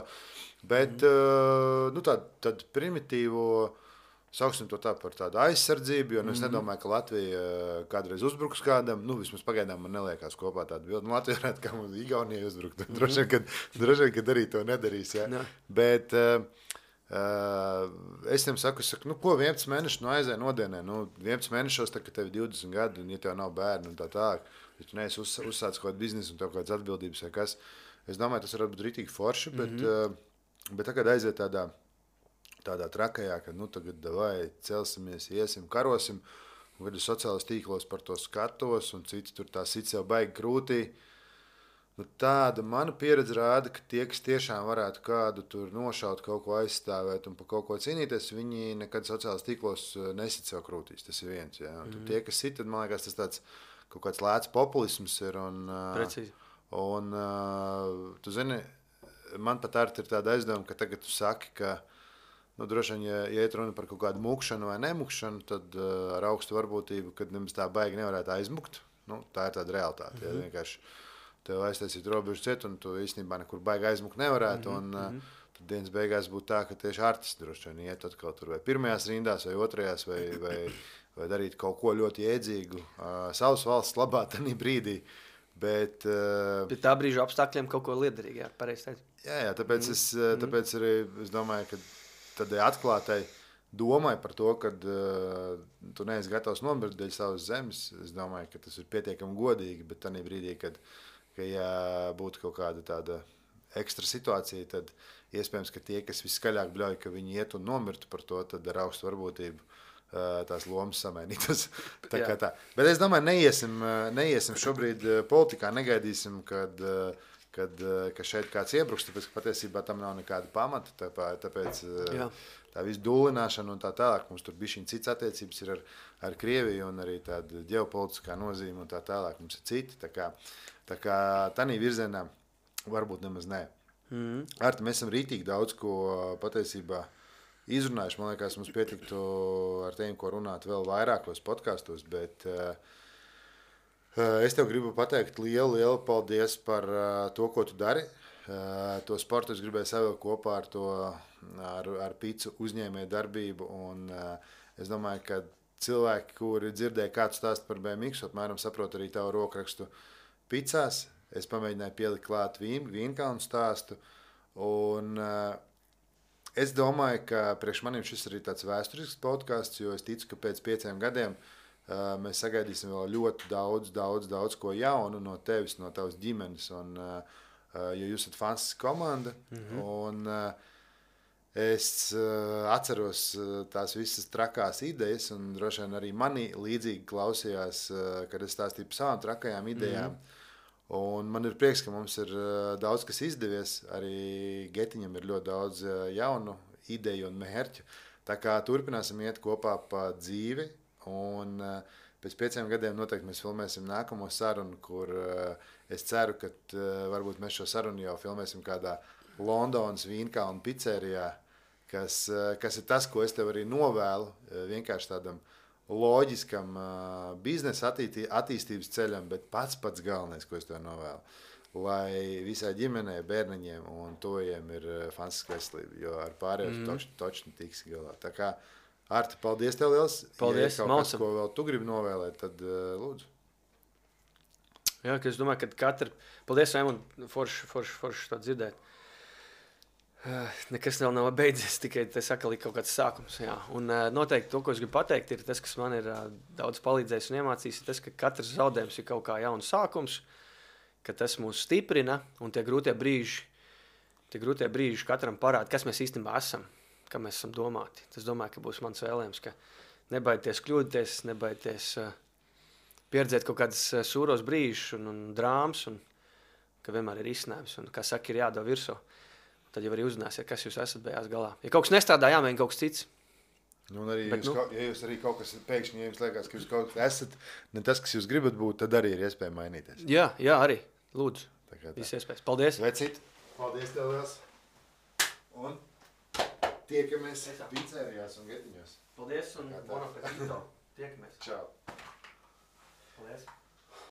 bet tādu primitīvo, sauksim to tā par tādu aizsardzību, jo es nedomāju, ka Latvija kādreiz uzbruks kādam, vismaz pagaidām man neliekās kopā tādu bildi, Latvija varētu kā mums Igaunijai uzbrukt, droši vien, kad arī to nedarīs, ja? Bet es viņam saku, ko 11 mēneši aizēja nodienē, 11 mēnešos, kad tev ir 20 gadi, un ja tev nav bērni un tā, ja tu neesi uzsācis kaut kādu biznesu un tev kādas atbildības vai kas, es domāju, tas varētu būt rītīgi forši, bet tagad aiziet tādā trakajā, ka tagad davai celsimies, iesim, karosim, un kad es sociālos tīklos par to skatos, un citi tur tā sit sev baigi krūtī. Tāda mana pieredze rāda, ka tie, kas tiešām varētu kādu tur nošaut, kaut ko aizstāvēt un par kaut ko cīnīties, viņi nekad sociālos tīklos nesit sev krūtīs. Tas ir viens. Ja? Tie, kas sit, tad man liekas, tas tāds kaut kāds lēts populisms ir. Precīzi. Un tu zini, man pat arī ir tāda aizdoma, ka tagad tu saki, ka droši vien, ja iet runa par kaut kādu mukšanu vai nemukšanu, tad ar augstu varbūtību, kad nemaz tā baigi nevarētu aizmukt. Tā ir tāda realitāte. Ja? Vienkārši tev aiztaisīt robežu ciet, un tu īstenībā nekur baigi aizmukt nevarētu. Tad dienas beigās būtu tā, ka tieši artisti droši vien iet atkal tur vai pirmajās rindās, vai otrajās, vai darīt kaut ko ļoti jēdzīgu savas valsts labā tajā brīdī. Bet pie tā brīža apstākļiem kaut ko liederīgi, jā, pareizi teikt. Jā, tāpēc arī es domāju, ka tādai atklātai domai par to, ka tu neesi gatavs nomirt dēļ savas zemes, es domāju, ka tas ir pietiekami godīgi, bet tajā brīdī, ka ja būtu kaut kāda tāda ekstra situācija, tad iespējams, ka tie, kas viskaļāk bļauj, ka viņi iet un nomirtu par to, tad ar augstu varbūtību tās lomas samainītas. Tā. Bet es domāju, neiesim šobrīd politikā, negaidīsim, kad šeit kāds iebruks, tāpēc, ka patiesībā tam nav nekāda pamata, tāpēc tā visu dūlināšana un tā tālāk, mums tur bišķiņ cits attiecības ir ar Krieviju un arī tāda ģeopolitiskā nozīme un tā tālāk, mums ir citi, tā kā tādā virzienā varbūt nemaz nē. Arti, mēs esam rītīgi daudz ko patiesībā izrunājuši. Man liekas, mums pietiktu ar tiem, ko runāt vēl vairākos podkastos, bet es tev gribu pateikt lielu paldies par to, ko tu dari. To sportu es gribēju savilkt kopā ar Picu uzņēmēju darbību, un es domāju, ka cilvēki, kuri dzirdēja kādu stāstu par BMX, apmēram saprot arī tavu rokrakstu Picās. Es pamēģināju pielikt klāt Vīnkalnu stāstu, un es domāju, ka priekš manim šis ir arī tāds vēsturisks podcasts, jo es ticu, ka pēc 5 gadiem mēs sagaidīsim vēl ļoti daudz ko jaunu no tevis, no tavas ģimenes, un jo jūs esat fantastiska komanda, un es atceros tās visas trakās idejas, un droši vien arī mani līdzīgi klausījās, kad es stāstīju par savām trakajām idejām. Un man ir prieks, ka mums ir daudz kas izdevies. Arī Getiņam ir ļoti daudz jaunu ideju un mērķu. Tā kā turpināsim iet kopā pa dzīvi. Un pēc 5 gadiem noteikti mēs filmēsim nākamo sarunu, kur es ceru, ka varbūt mēs šo sarunu jau filmēsim kādā Londonas Vīnkalnu picerijā, kas ir tas, ko es tev arī novēlu, vienkārši tādam loģiskam biznesa attīstības ceļam, bet pats galvenais, ko es tev novēlu, lai visai ģimenei, bērniņiem un tojiem ir fantastiska veselība, jo ar pārējo točni tiks galā. Tā kā, Arti, paldies tev liels. Paldies, ja kaut kas, ko vēl tu gribi novēlēt, tad lūdzu. Jā, ka es domāju, ka paldies, Raimond, forši to dzirdēt. Nekas vēl nav beidzies, tikai tas atkal ir kaut kāds sākums. Jā. Un noteikti to, ko es gribu pateikt, ir tas, kas man ir daudz palīdzējis un iemācījis, ir tas, ka katrs zaudējums ir kaut kā jauns sākums, ka tas mūs stiprina un tie grūtie brīži katram parāda, kas mēs īstenībā esam, kā mēs esam domāti. Tas domāju, ka būs mans vēlējums, ka nebaidieties kļūdīties, nebaidieties pieredzēt kaut kādas sūros brīžus un drāmas, un ka vienmēr ir izcinājums, un, kā saka, ir jādod virsū. Tad jau arī uzzināsiet, kas jūs esat beigās galā. Ja kaut kas nestrādā, jāmēģina kaut kas cits. Nu, un arī ja jūs arī kaut kas pēkšņi, ja jums liekas, ka jūs kaut kas esat, ne tas, kas jūs gribat būt, tad arī ir iespēja mainīties. Jā, arī. Lūdzu. Viss iespējas. Paldies. Vecīt. Paldies tev liels. Un tiekamies picerijās un Getiņos. Paldies un bon appetito. Tiekamies. Čau. Paldies.